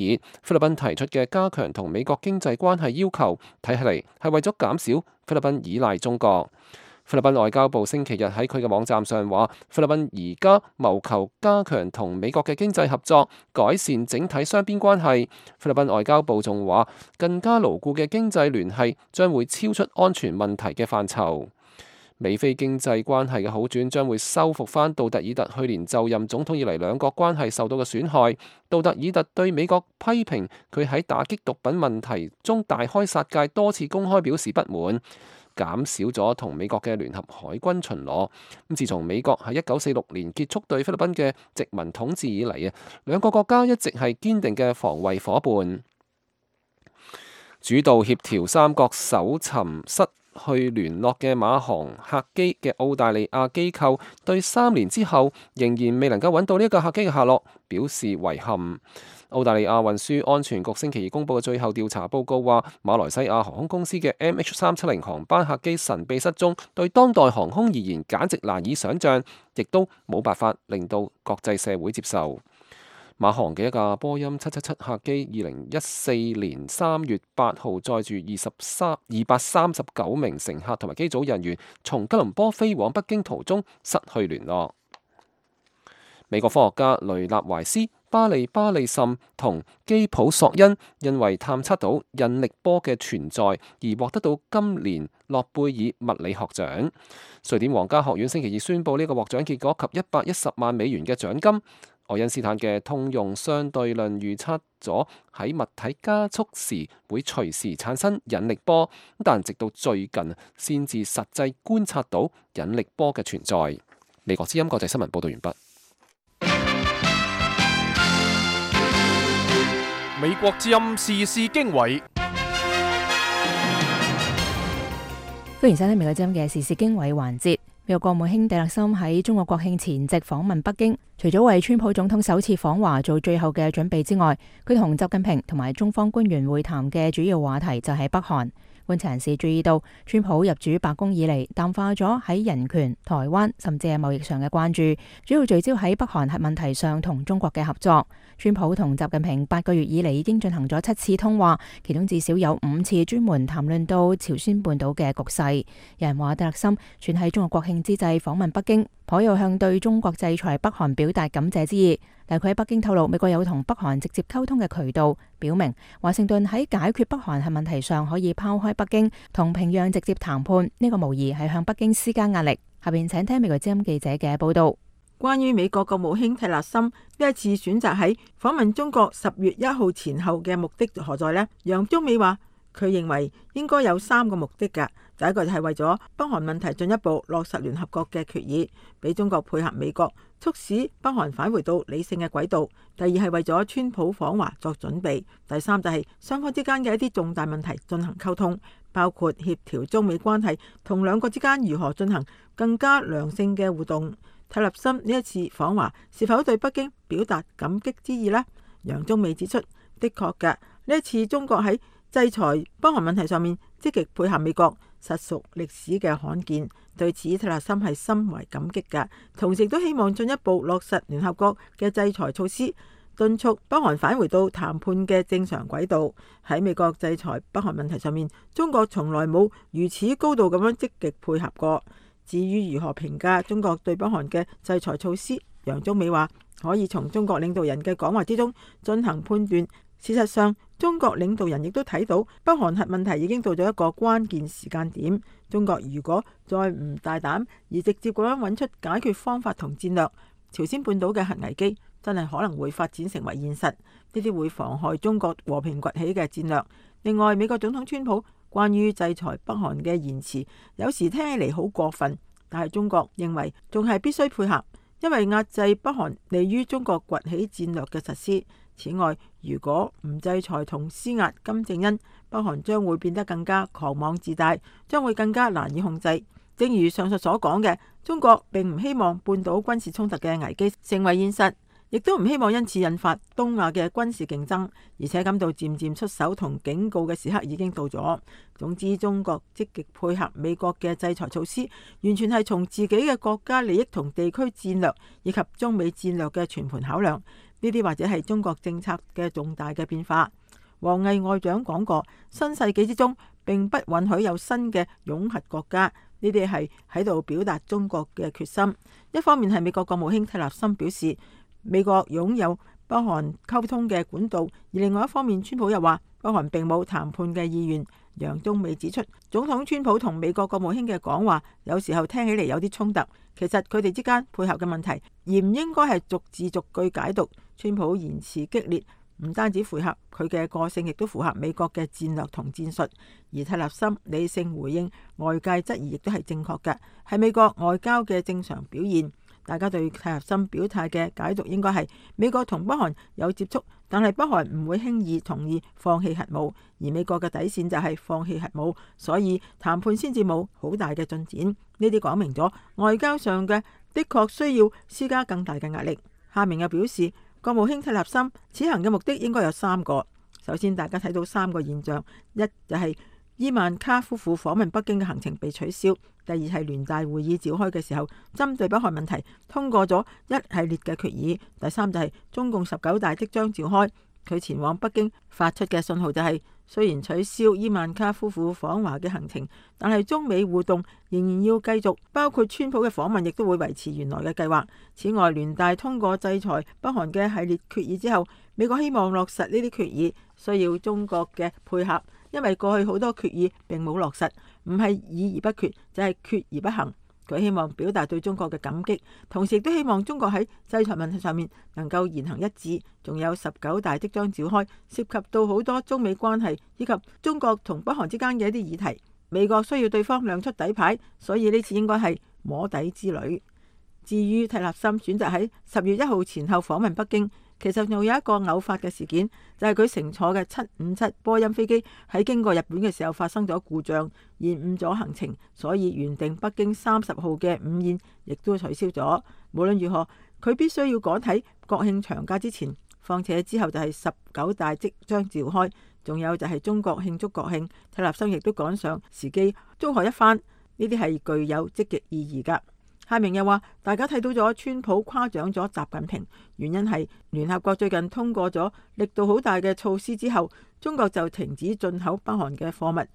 菲律賓提出嘅加強同美國經濟關係要求，睇起嚟係為咗減少菲律賓依賴中國。菲律賓外交部星期日喺佢嘅網站上話，菲律賓而家謀求加強同美國嘅經濟合作，改善整體雙邊關係。菲律賓外交部仲話，更加牢固嘅經濟聯繫將會超出安全問題嘅範疇。美菲經濟關係嘅好轉將會修復翻杜特爾特去年就任總統以嚟兩國關係受到嘅損害。杜特爾特對美國批評佢喺打擊毒品問題中大開殺戒，多次公開表示不滿，減少咗同美國嘅聯合海軍巡邏。咁自從美國喺一九四六年結束對菲律賓嘅殖民統治以嚟啊，兩個國家一直係堅定嘅防衛夥伴。主導協調三國搜尋失去聯絡嘅馬航客機嘅澳大利亞機構，對三年之後仍然未能夠揾到呢一架客機嘅下落表示遺憾。澳大利亞運輸安全局星期二公佈嘅最後調查報告話，馬來西亞航空公司嘅 M H 三七零航班客機神秘失蹤，對當代航空而言簡直難以想像，亦都冇辦法令到國際社會接受。馬航嘅一架波音七七七客機，二零一四年三月八號載住二十三二百三十九名乘客同埋機組人員，從吉隆坡飛往北京途中失去聯絡。美國科學家雷納懷斯、巴利巴利什同基普索恩因為探測到引力波嘅存在而獲得到今年諾貝爾物理學獎。瑞典皇家學院星期二宣布呢個獲獎結果及一百一十萬美元嘅獎金。愛因斯坦嘅通用相對論預測咗喺物體加速時會隨時產生引力波，但直到最近先至實際觀察到引力波嘅存在。美國之音國際新聞報道完畢。美國之音時事經緯，歡迎收聽美國之音嘅時事經緯環節。美國國務卿蒂勒森喺中國國慶前夕訪問北京，除咗為川普總統首次訪華做最後嘅準備之外，佢同習近平同埋中方官員會談嘅主要話題就係北韓。觀察人士注意到，川普入主白宮以嚟，淡化咗喺人權、台灣甚至係貿易上嘅關注，主要聚焦喺北韓核問題上同中國嘅合作。川普同習近平八個月以嚟已經進行咗七次通話，其中至少有五次專門談論到朝鮮半島嘅局勢。有人話蒂勒森選喺中國國慶之際訪問北京，頗有向對中國制裁北韓表達感謝之意。但佢喺北京透露，美國有同北韓直接溝通嘅渠道，表明華盛頓喺解決北韓核問題上可以拋開北京，同平壤直接談判。呢個無疑係向北京施加壓力。下邊請聽美國之音記者嘅報道。關於美國國務卿蒂勒森呢一次選擇喺訪問中國十月一號前後嘅目的何在呢？楊中美話佢認為應該有三個目的㗎。第一個就係為咗北韓問題進一步落實聯合國嘅決議，俾中國配合美國，促使北韓返回到理性嘅軌道。第二係為咗川普訪華作準備。第三就係雙方之間嘅一啲重大問題進行溝通，包括協調中美關係同兩國之間如何進行更加良性嘅互動。蒂勒森呢一次訪華是否對北京表達感激之意呢？楊中美指出，的確嘅，呢一次中國喺制裁北韓問題上面積極配合美國，實屬歷史嘅罕見。對此，蒂勒森係深為感激嘅，同時都希望進一步落實聯合國嘅制裁措施，敦促北韓返回到談判嘅正常軌道。喺美國制裁北韓問題上面，中國從來冇如此高度咁樣積極配合過。至於如何評價中國對北韓嘅制裁措施，楊中美話可以從中國領導人嘅講話之中進行判斷。事實上，中國領導人亦都睇到北韓核問題已經到咗一個關鍵時間點。中國如果再唔大膽而直接咁樣揾出解決方法同戰略，朝鮮半島嘅核危機真係可能會發展成為現實，呢啲會妨害中國和平崛起嘅戰略。另外，美國總統川普關於制裁北韓嘅言辭，有時聽起嚟好過分，但係中國認為仲係必須配合，因為壓制北韓利於中國崛起戰略嘅實施。此外，如果唔制裁同施壓金正恩，北韓將會變得更加狂妄自大，將會更加難以控制。正如上述所講嘅，中國並唔希望半島軍事衝突嘅危機成為現實，亦都唔希望因此引發東亞嘅軍事競爭，而且感到漸漸出手同警告嘅時刻已經到咗。總之，中國積極配合美國嘅制裁措施，完全係從自己嘅國家利益同地區戰略以及中美戰略嘅全盤考量。呢啲或者係中國政策嘅重大嘅變化。王毅外長講過，新世紀之中並不允許有新嘅擁核國家。呢啲係喺度表達中國嘅決心。一方面係美國國務卿蒂勒森表示，美國擁有北韓溝通嘅管道，而另外一方面，川普又話北韓並冇談判嘅意願。楊中美指出，總統川普同美國國務卿嘅講話有時候聽起嚟有啲衝突，其實佢哋之間配合嘅問題，而唔應該係逐字逐句解讀。川普言辭激烈，唔單止符合佢嘅個性，亦都符合美國嘅戰略同戰術。而蒂勒森理性回應外界質疑，亦都係正確嘅，係美國外交嘅正常表現。大家對蒂勒森表態嘅解讀應該係美國同北韓有接觸，但係北韓唔會輕易同意放棄核武，而美國嘅底線就係放棄核武，所以談判先至冇好大嘅進展。呢啲講明咗外交上嘅的確需要施加更大嘅壓力。下面又表示，國務卿蒂勒森此行嘅目的應該有三個。首先，大家睇到三個現象：一就係伊萬卡夫婦訪問北京嘅行程被取消；第二係聯大會議召開嘅時候，針對北韓問題通過咗一系列嘅決議；第三就係中共十九大即將召開，佢前往北京發出嘅信號就係，雖然取消伊萬卡夫婦訪華嘅行程，但係中美互動仍然要繼續，包括川普嘅訪問亦都會維持原來嘅計劃。此外，聯大通過制裁北韓嘅系列決議之後，美國希望落實呢啲決議，需要中國嘅配合，因為過去好多決議並冇落實，唔係議而不決，就係決而不行。佢希望表達對中國嘅感激，同時亦都希望中國喺制裁問題上面能夠言行一致。仲有十九大即將召開，涉及到好多中美關係以及中國同北韓之間嘅一啲議題，美國需要對方亮出底牌，所以呢次應該係摸底之旅。至於蒂勒森選擇喺十月一號前後訪問北京，其實又有一個偶發嘅事件，就係佢乘坐嘅七五七波音飛機喺經過日本嘅時候發生咗故障，延誤咗行程，所以原定北京三十號嘅午宴亦都取消咗。無論如何，佢必須要趕喺國慶長假之前，況且之後就係十九大即將召開，仲有就係中國慶祝國慶，蒂勒森亦都趕上時機祝賀一番，呢啲係具有積極意義㗎。夏明又話：大家睇到咗川普誇獎咗習近平，原因係聯合國最近通過咗力度好大嘅措施之後，中國就停止進口北韓嘅貨物，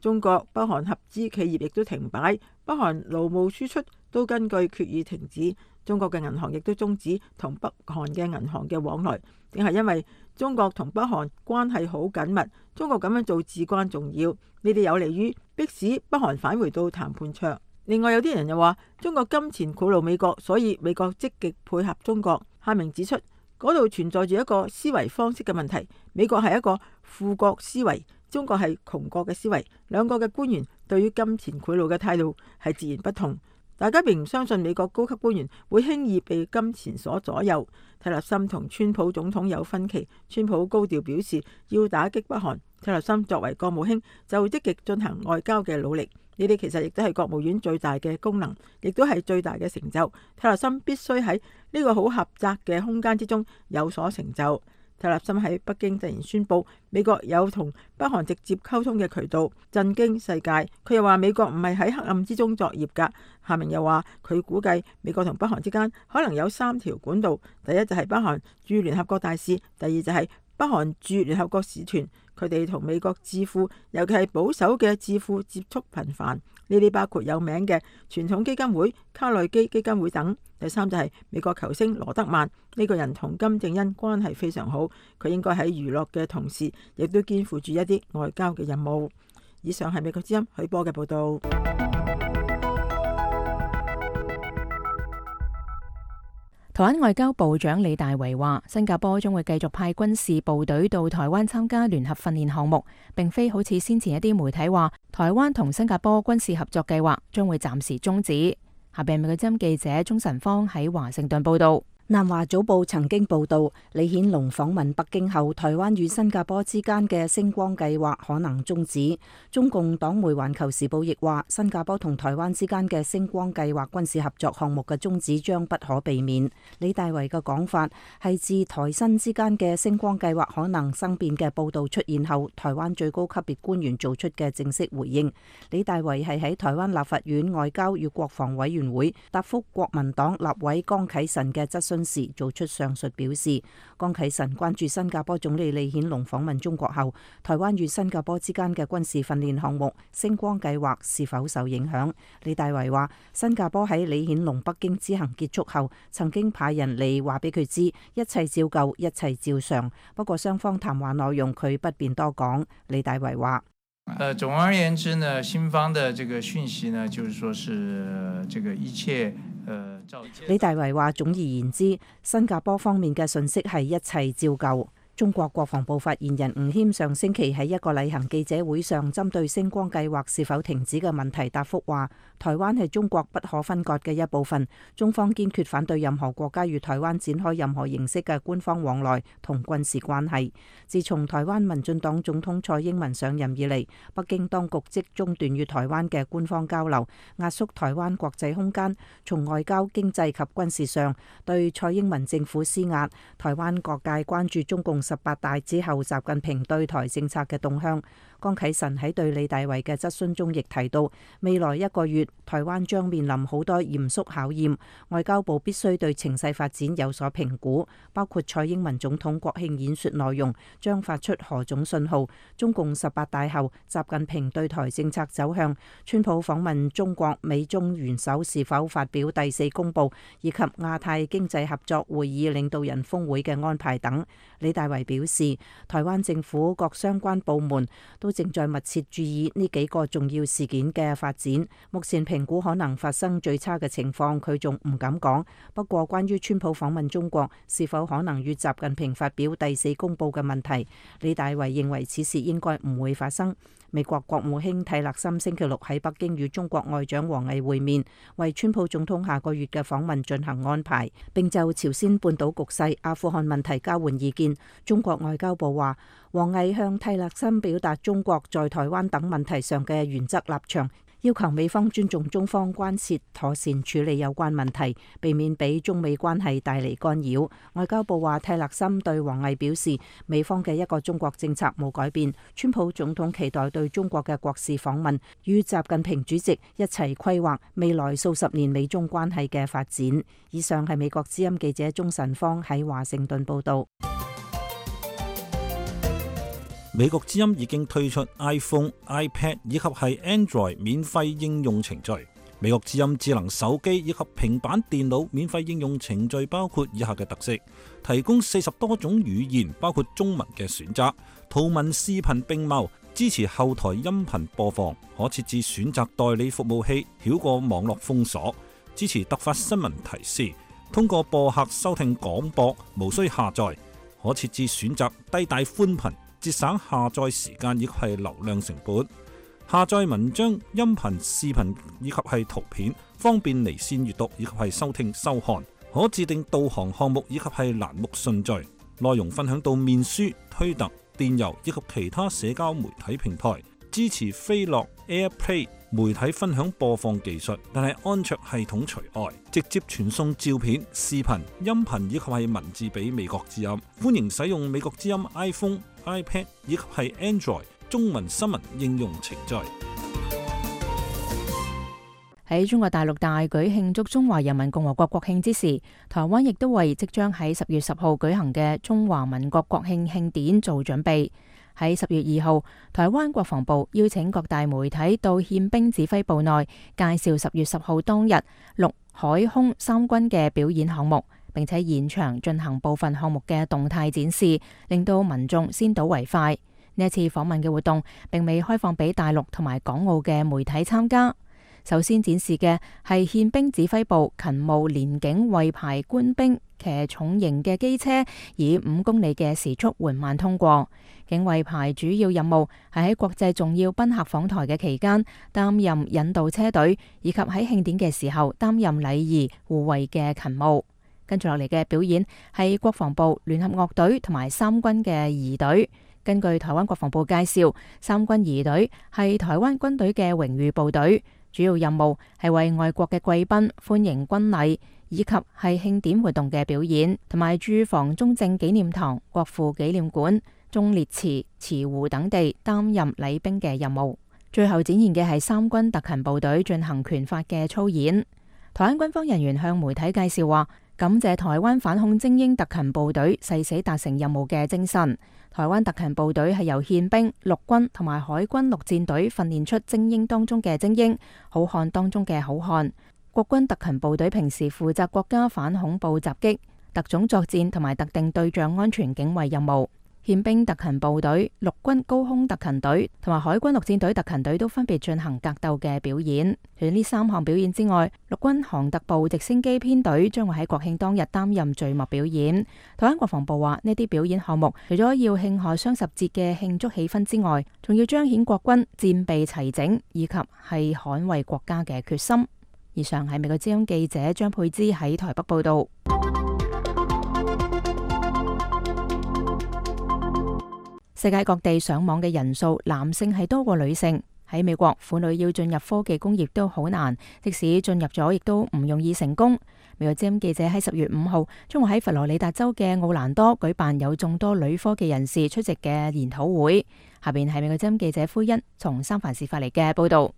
中國北韓合資企業亦都停擺，北韓勞務輸出都根據決議停止，中國嘅銀行亦都終止同北韓嘅銀行嘅往來，定係因為中國同北韓關係好緊密，中國咁樣做至關重要，呢啲有利於迫使北韓返回到談判桌。另外有啲人又話中國金錢賄賂美國，所以美國積極配合中國。夏明指出，嗰度存在住一個思維方式嘅問題，美國係一個富國思維，中國係窮國嘅思維，兩個嘅官員對於金錢賄賂嘅態度係截然不同。大家並唔相信美國高級官員會輕易被金錢所左右。蒂勒森同川普總統有分歧，川普高調表示要打擊北韓，蒂勒森作為國務卿就積極進行外交嘅努力。呢啲其實亦都係國務院最大嘅功能，亦都係最大嘅成就。蒂勒森必須喺呢個好狹窄嘅空間之中有所成就。蒂勒森喺北京突然宣布美國有同北韓直接溝通嘅渠道，震驚世界。佢又話美國唔係喺黑暗之中作業㗎。夏明又話佢估計美國同北韓之間可能有三條管道，第一就係北韓駐聯合國大使，第二就係北韓駐聯合國使團。佢哋同美國智庫，尤其係保守嘅智庫接觸頻繁，呢啲包括有名嘅傳統基金會、卡內基基金會等。第三就係美國球星羅德曼，呢個人同金正恩關係非常好，佢應該喺娛樂嘅同時，亦都肩負住一啲外交嘅任務。以上係美國之音許波嘅報道。台灣外交部長李大維話，新加坡將會繼續派軍事部隊到台灣參加聯合訓練項目，並非好似先前一啲媒體話，台灣同新加坡軍事合作計劃將會暫時終止。下邊美國之音記者鍾晨芳喺華盛頓報道。南華早報曾經報道，李顯龍訪問北京後，台灣與新加坡之間嘅星光計劃可能終止。中共黨媒環球時報亦話，新加坡同台灣之間嘅星光計劃軍事合作項目嘅終止將不可避免。李大維嘅講法係自台新之間嘅星光計劃可能生變嘅報道出現後，台灣最高級別官員做出嘅正式回應。李大維係喺台灣立法院外交與國防委員會答覆國民黨立委江啟臣嘅質詢時做出上述表示。江啟臣關注新加坡總理李顯龍訪問中國後，台灣與新加坡之間嘅軍事訓練項目星光計劃是否受影響。李大維話，新加坡喺李顯龍北京之行結束後，曾經派人嚟話俾佢知，一切照舊，一切照常。不過雙方談話內容佢不便多講。李大維話，呃，總而言之呢，新方的這個訊息呢，就是說是這個一切。李大維話，總而言之，新加坡方面嘅信息係一切照舊。中國國防部發言人吳謙上星期喺一個例行記者會上，針對星光計劃是否停止嘅問題答覆話，台灣係中國不可分割嘅一部分，中方堅決反對任何國家與台灣展開任何形式嘅官方往來同軍事關係。自從台灣民進黨總統蔡英文上任以嚟，北京當局即中斷與台灣嘅官方交流，壓縮台灣國際空間，從外交、經濟及軍事上對蔡英文政府施壓。台灣各界關注中共十八大之後習近平對台政策嘅動向。江啟臣喺對李大維嘅質詢中亦提到，未來一個月台灣將面臨好多嚴肅考驗，外交部必須對情勢發展有所評估，包括蔡英文總統國慶演說內容將發出何種信號，中共十八大後習近平對台政策走向，川普訪問中國，美中元首是否發表第四公報，以及亞太經濟合作會議領導人峰會嘅安排等。李大維表示，台灣政府各相關部門都都正在密切注意呢幾個重要事件嘅發展。目前評估可能發生最差嘅情況，佢仲唔敢講。不過，關於川普訪問中國是否可能與習近平發表第四公報嘅問題，李大維認為此事應該唔會發生。美國國務卿蒂勒森星期六喺北京與中國外長王毅會面，為川普總統下個月嘅訪問進行安排，並就朝鮮半島局勢、阿富汗問題交換意見。中國外交部話，王毅向蒂勒森表達中國在台灣等問題上嘅原則立場，要求美方尊重中方關切，妥善處理有關問題，避免俾中美關係帶嚟干擾。外交部話，蒂勒森對王毅表示，美方嘅一個中國政策冇改變，川普總統期待對中國嘅國事訪問，與習近平主席一齊規劃未來數十年美中關係嘅發展。以上係美國之音記者鍾晨芳喺華盛頓報道。美國之音已經推出 iPhone、iPad 以及係 Android 免費應用程序。美國之音智能手機以及平板電腦免費應用程序包括以下嘅特色：提供四十多種語言，包括中文嘅選擇，圖文視頻並茂，支持後台音頻播放，可設置選擇代理服務器，繞過網絡封鎖，支持突發新聞提示，通過播客收聽廣播，無需下載，可設置選擇低帶寬頻，節省下載時間以及係流量成本，下載文章、音頻、視頻以及係圖片，方便離線閱讀以及係收聽收看，可自定導航項目以及係欄目順序，內容分享到面書、推特、電郵以及其他社交媒體平台，支持飛樂 AirPlay 媒體分享播放技術，但係安卓系統除外，直接傳送照片、視頻、音頻以及係文字俾美國之音。歡迎使用美國之音 iPhone、iPad 以及係 Android 中文新聞應用程序。喺中國大陸大舉慶祝中華人民共和國國慶之時，台灣亦都為即將喺十月十號舉行嘅中華民國國慶慶典做準備。喺十月二號，台灣國防部邀請各大媒體到憲兵指揮部內介紹十月十號當日陸海空三軍嘅表演項目，並且現場進行部分項目嘅動態展示，令到民眾先睹為快。呢一次訪問嘅活動並未開放俾大陸同埋港澳嘅媒體參加。首先展示嘅係憲兵指揮部勤務連警衛排官兵騎重型嘅機車，以五公里嘅時速緩慢通過。警衛排主要任務係喺國際重要賓客訪台嘅期間擔任引導車隊，以及喺慶典嘅時候擔任禮儀護衛嘅勤務。跟住落嚟嘅表演係國防部聯合樂隊同埋三軍嘅儀隊。根據台灣國防部介紹，三軍儀隊係台灣軍隊嘅榮譽部隊，主要任務係為外國嘅貴賓歡迎軍禮，以及係慶典活動嘅表演，同埋駐防中正紀念堂、國父紀念館、忠烈祠、慈湖等地擔任禮兵嘅任務。最後展現嘅係三軍特勤部隊進行拳法嘅操演。台灣軍方人員向媒體介紹話，感謝台灣反恐精英特勤部隊誓死達成任務嘅精神。台灣特勤部隊係由憲兵、陸軍同埋海軍陸戰隊訓練出精英當中嘅精英，好漢當中嘅好漢。國軍特勤部隊平時負責國家反恐怖襲擊、特種作戰同埋特定對象安全警衛任務。憲兵特勤部隊、陸軍高空特勤隊同埋海軍陸戰隊特勤隊都分別進行格鬥嘅表演。除咗呢三項表演之外，陸軍航特部直升機編隊將會喺國慶當日擔任序幕表演。台灣國防部話，呢啲表演項目除咗要慶賀雙十節嘅慶祝氣氛之外，仲要彰顯國軍戰備齊整以及係捍衛國家嘅決心。以上係美國之音記者張佩芝喺台北報道。世界各地上網嘅人數，男性係多過女性。喺美國，婦女要進入科技工業都好難，即使進入咗，亦都唔容易成功。美國之音記者喺十月五號將會喺佛羅里達州嘅奧蘭多舉辦有眾多女科技人士出席嘅研討會。下邊係美國之音記者灰欣從三藩市發嚟嘅報道。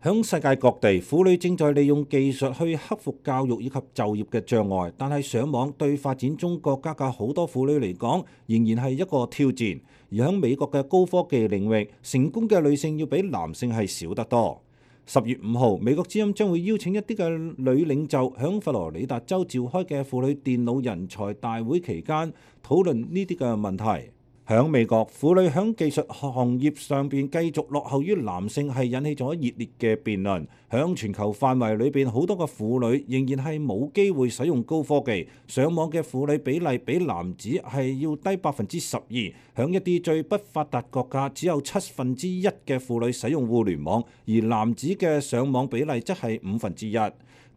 響世界各地，婦女正在利用技術去克服教育以及就業嘅障礙，但係上網對發展中國家嘅好多婦女嚟講，仍然係一個挑戰。而喺美國嘅高科技領域，成功嘅女性要比男性係少得多。十月五號，美國之音將會邀請一啲嘅女領袖響佛羅里達州召開嘅婦女電腦人才大會期間討論呢啲嘅問題。響美國，婦女響技術行業上邊繼續落後於男性，係引起咗熱烈嘅辯論。響全球範圍裏邊，好多嘅婦女仍然係冇機會使用高科技。上網嘅婦女比例比男子係要低百分之十二。響一啲最不發達國家，只有七分之一嘅婦女使用互聯網，而男子嘅上網比例則係五分之一。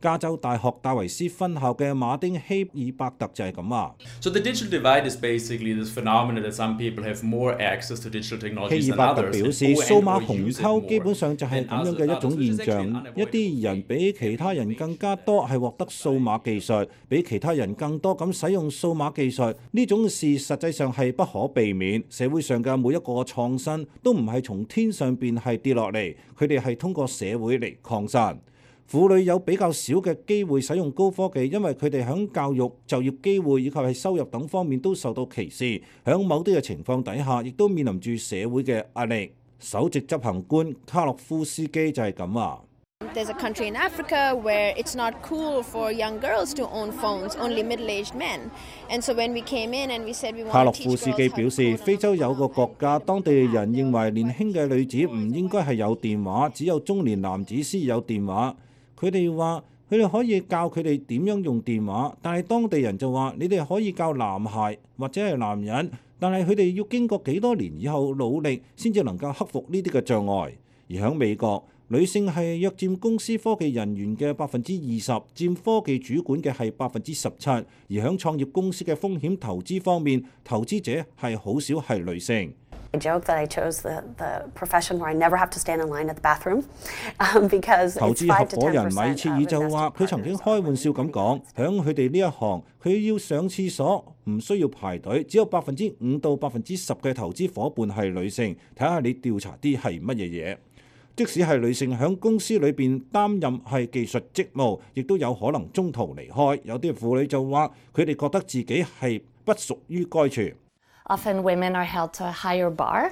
加州大學戴維斯分校嘅馬丁希爾伯特就係咁話。So the digital divide is basically this phenomenon that some people have more access to digital technologies than others. 希爾伯特表示，數碼鴻溝基本上就係咁樣嘅一種現象，一啲人比其他人更加多係獲得數碼技術，比其他人更多咁使用數碼技術，呢種事實際上係不可避免。社會上嘅每一個創新都唔係從天上邊係跌落嚟，佢哋係通過社會嚟擴散。婦女有比較少嘅機會使用高科技，因為佢哋喺教育、就業機會以及係收入等方面都受到歧視。喺某啲嘅情況底下，亦都面臨住社會嘅壓力。首席執行官卡洛夫斯基就係咁話。There's a country in Africa where it's not cool for young girls to own phones, only middle-aged men. And so when we came in and we said we want to teach girls how to code. 卡洛夫斯基表示，非洲有個國家，當地人認為年輕嘅女子唔應該係有電話，只有中年男子先有電話。佢哋話佢哋可以教佢哋點樣用電話，但係當地人就話你哋可以教男孩或者係男人，但係佢哋要經過幾多年以後努力先至能夠克服呢啲嘅障礙。而喺美國，女性係約佔公司科技人員嘅百分之二十，佔科技主管嘅係百分之十七。而喺創業公司嘅風險投資方面，投資者係好少係女性。I joke that I chose the, the profession where I never have to stand in line at the bathroom, um, because 投資合夥人米切爾就話：佢曾經開玩笑咁講，響佢哋呢一行，佢要上廁所唔需要排隊，只有百分之五到百分之十嘅投資夥伴係女性。睇下你調查啲係乜嘢嘢。即使係女性響公司裏邊擔任係技術職務，亦都有可能中途離開。有啲婦女就話：佢哋覺得自己係不屬於該處。Often women are held to a higher bar,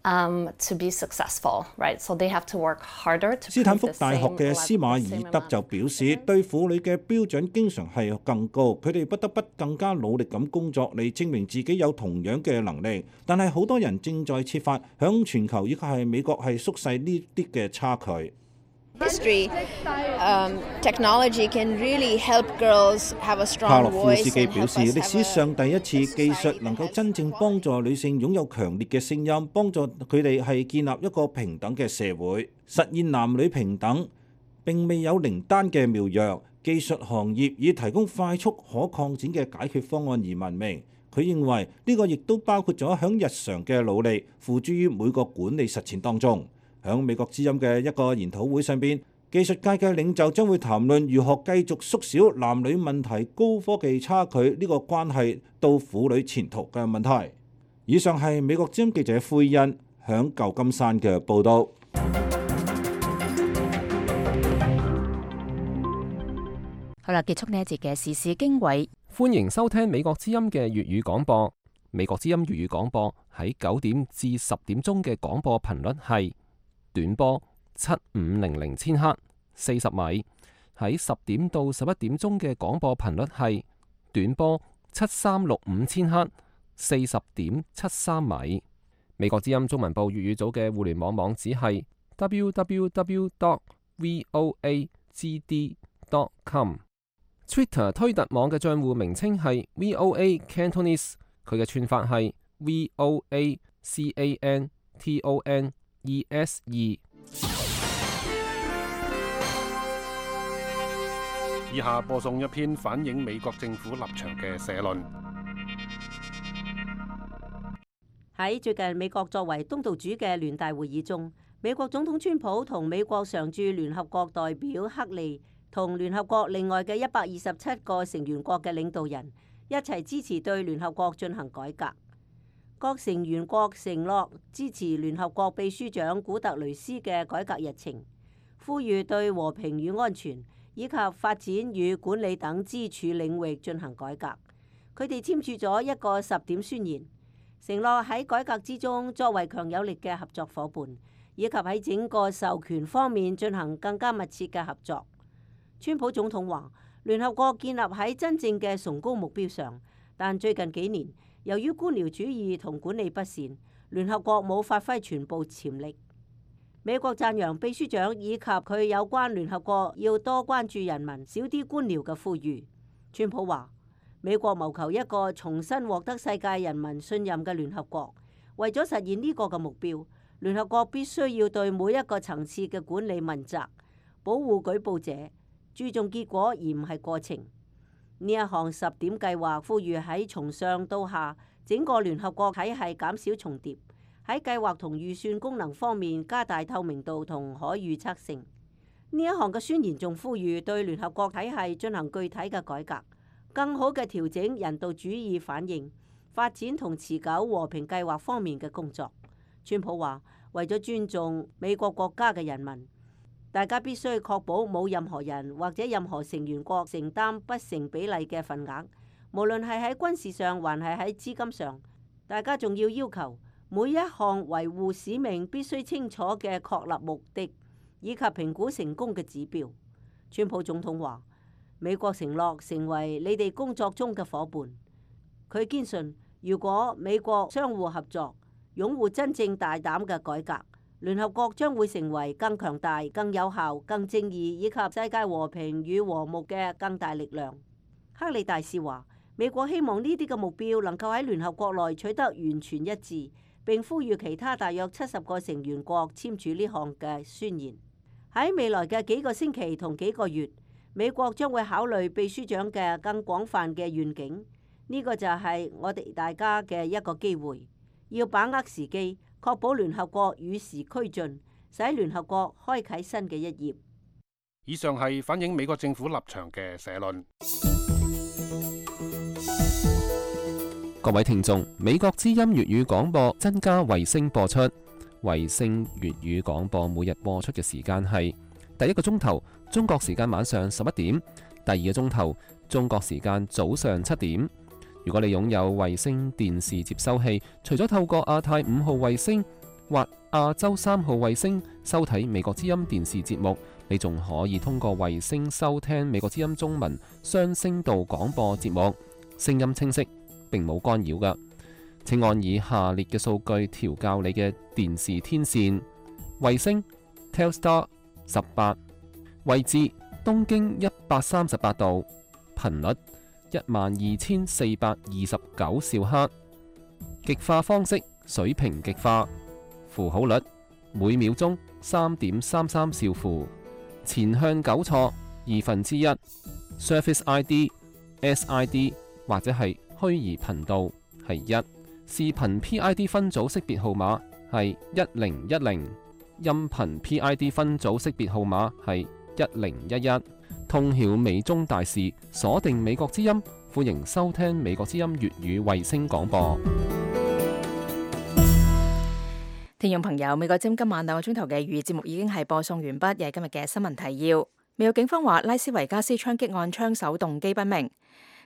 um, to be successful, right? So they have to work harder to. 斯坦福大學嘅斯馬爾德就表示，對婦女嘅標準經常係更高，佢哋不得不更加努力咁工作嚟證明自己有同樣嘅能力。但係好多人正在設法響全球以及係美國係縮細呢啲嘅差距。History, um, technology can really help girls have a strong voice. 卡洛夫斯基表示，歷史上第一次技術能夠真正幫助女性擁有強烈嘅聲音，幫助佢哋係建立一個平等嘅社會，實現男女平等。並未有靈丹嘅妙藥，技術行業以提供快速可擴展嘅解決方案而聞名。佢認為呢個亦都包括咗響日常嘅努力，付諸於每個管理實踐當中。喺美國之音嘅一個研討會上邊，技術界嘅領袖將會談論如何繼續縮小男女問題高科技差距呢個關係到婦女前途嘅問題。以上係美國之音記者灰欣響舊金山嘅報導。好啦，結束呢一節嘅時事經緯。歡迎收聽美國之音嘅粵語廣播。美國之音粵語廣播喺九點至十點鐘嘅廣播頻率係短波七五零零千赫四十米，喺十點到十一點鐘嘅廣播頻率係短波七三六五千赫四十點七三米。美國之音中文部粵語組嘅互聯網網址係 w w w dot voa g d dot com。Twitter 推特網嘅賬戶名稱係 V O A Cantonese， 佢嘅串法係 V O A C A N T O N E S E。以下播送一篇反映美國政府立場嘅社論。喺最近美國作為東道主嘅聯大會議中，美國總統川普同美國常駐聯合國代表克利同聯合國另外嘅一百二十七個成員國嘅領導人一齊支持對聯合國進行改革。各成員國承諾支持聯合國秘書長古特雷斯嘅改革日程，呼籲對和平與安全以及發展與管理等支柱領域進行改革。佢哋簽署咗一個十點宣言，承諾喺改革之中作為強有力嘅合作夥伴，以及喺整個授權方面進行更加密切嘅合作。川普總統話：聯合國建立喺真正嘅崇高目標上，但最近幾年由於官僚主義同管理不善，聯合國冇發揮全部潛力。美國讚揚秘書長以及佢有關聯合國要多關注人民、少啲官僚嘅呼籲。川普話：美國謀求一個重新獲得世界人民信任嘅聯合國，為咗實現呢個嘅目標，聯合國必須要對每一個層次嘅管理問責，保護舉報者，注重結果而唔係過程。呢一項十點計劃呼籲喺從上到下整個聯合國體系減少重疊，喺計劃同預算功能方面加大透明度同可預測性。呢一項嘅宣言仲呼籲對聯合國體系進行具體嘅改革，更好嘅調整人道主義反應、發展同持久和平計劃方面嘅工作。川普話：為咗尊重美國國家嘅人民，大家必須確保冇任何人或者任何成員國承擔不成比例嘅份額，無論係喺軍事上還係喺資金上。大家仲要要求每一項維護使命必須清楚嘅確立目的以及評估成功嘅指標。川普總統話：美國承諾成為你哋工作中嘅夥伴。佢堅信，如果美國相互合作，擁護真正大膽嘅改革，聯合國將會成為更強大、更有效、更正義以及世界和平與和睦嘅更大力量。克里大使話：美國希望呢啲嘅目標能夠喺聯合國內取得完全一致，並呼籲其他大約七十個成員國簽署呢項嘅宣言。喺未來嘅幾個星期同幾個月，美國將會考慮秘書長嘅更廣泛嘅願景。呢個就係我哋大家嘅一個機會。要把握時機，確保聯合國與時俱進，使聯合國開啟新嘅一頁。以上係反映美國政府立場嘅社論。各位聽眾，美國之音粵語廣播增加衛星播出，衛星粵語廣播每日播出嘅時間係第一個鐘頭中國時間晚上十一點，第二個鐘頭中國時間早上七點。如果你擁有衛星電視接收器，除咗透過亞太五號衛星或亞洲三號衛星收睇美國之音電視節目，你仲可以通過衛星收聽美國之音中文雙聲道廣播節目，聲音清晰，並冇干擾㗎。請按以下列嘅數據調校你嘅電視天線：衛星 Telstar 十八，位置東經一百三十八度，頻率一萬二千四百二十九兆赫，極化方式水平極化，符號率每秒鐘三點三三兆符，前向糾錯二分之一 ，Service I D S I D 或者係虛擬頻道係一，視頻 P I D 分組識別號碼係一零一零，音頻 P I D 分組識別號碼係一零一一。通曉美中大事，鎖定美國之音，歡迎收聽美國之音粵語衛星廣播。聽眾朋友，美國之音今晚兩個鐘頭嘅粵語節目已經係播送完畢，又係今日嘅新聞提要。美國警方話，拉斯維加斯槍擊案槍手動機不明。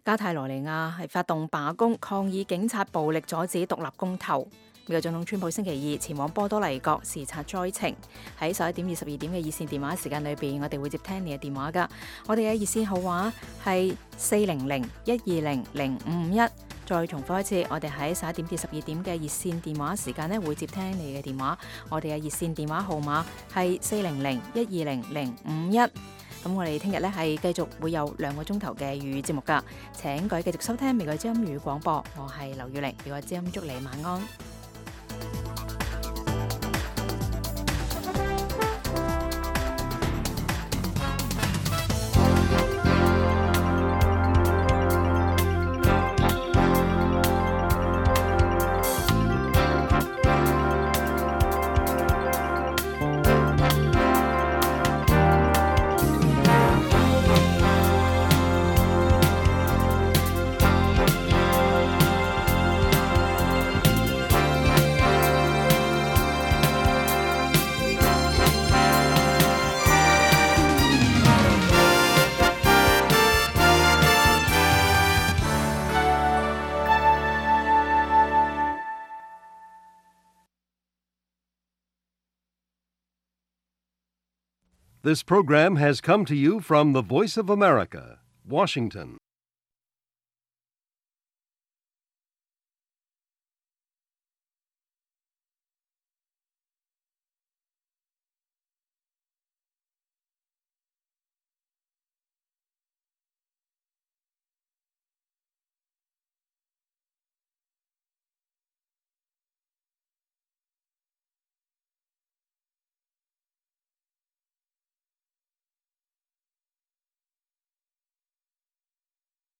加泰羅尼亞係發動罷工抗議警察暴力阻止獨立公投。美國總統川普星期二前往波多黎各視察災情。喺十一點至十二點嘅熱線電話時間裏邊，我哋會接聽你嘅電話噶。我哋嘅熱線號碼係四零零一二零零五五一。再重複一次，我哋喺十一點至十二點嘅熱線電話時間呢，會接聽你嘅電話。我哋嘅熱線電話號碼係四零零一二零零五五一。咁我哋聽日呢係繼續會有兩個鐘頭嘅粵語節目噶，請各位繼續收聽美國之音粵語廣播。我係劉月玲，美國之音祝你晚安。This program has come to you from the Voice of America, Washington.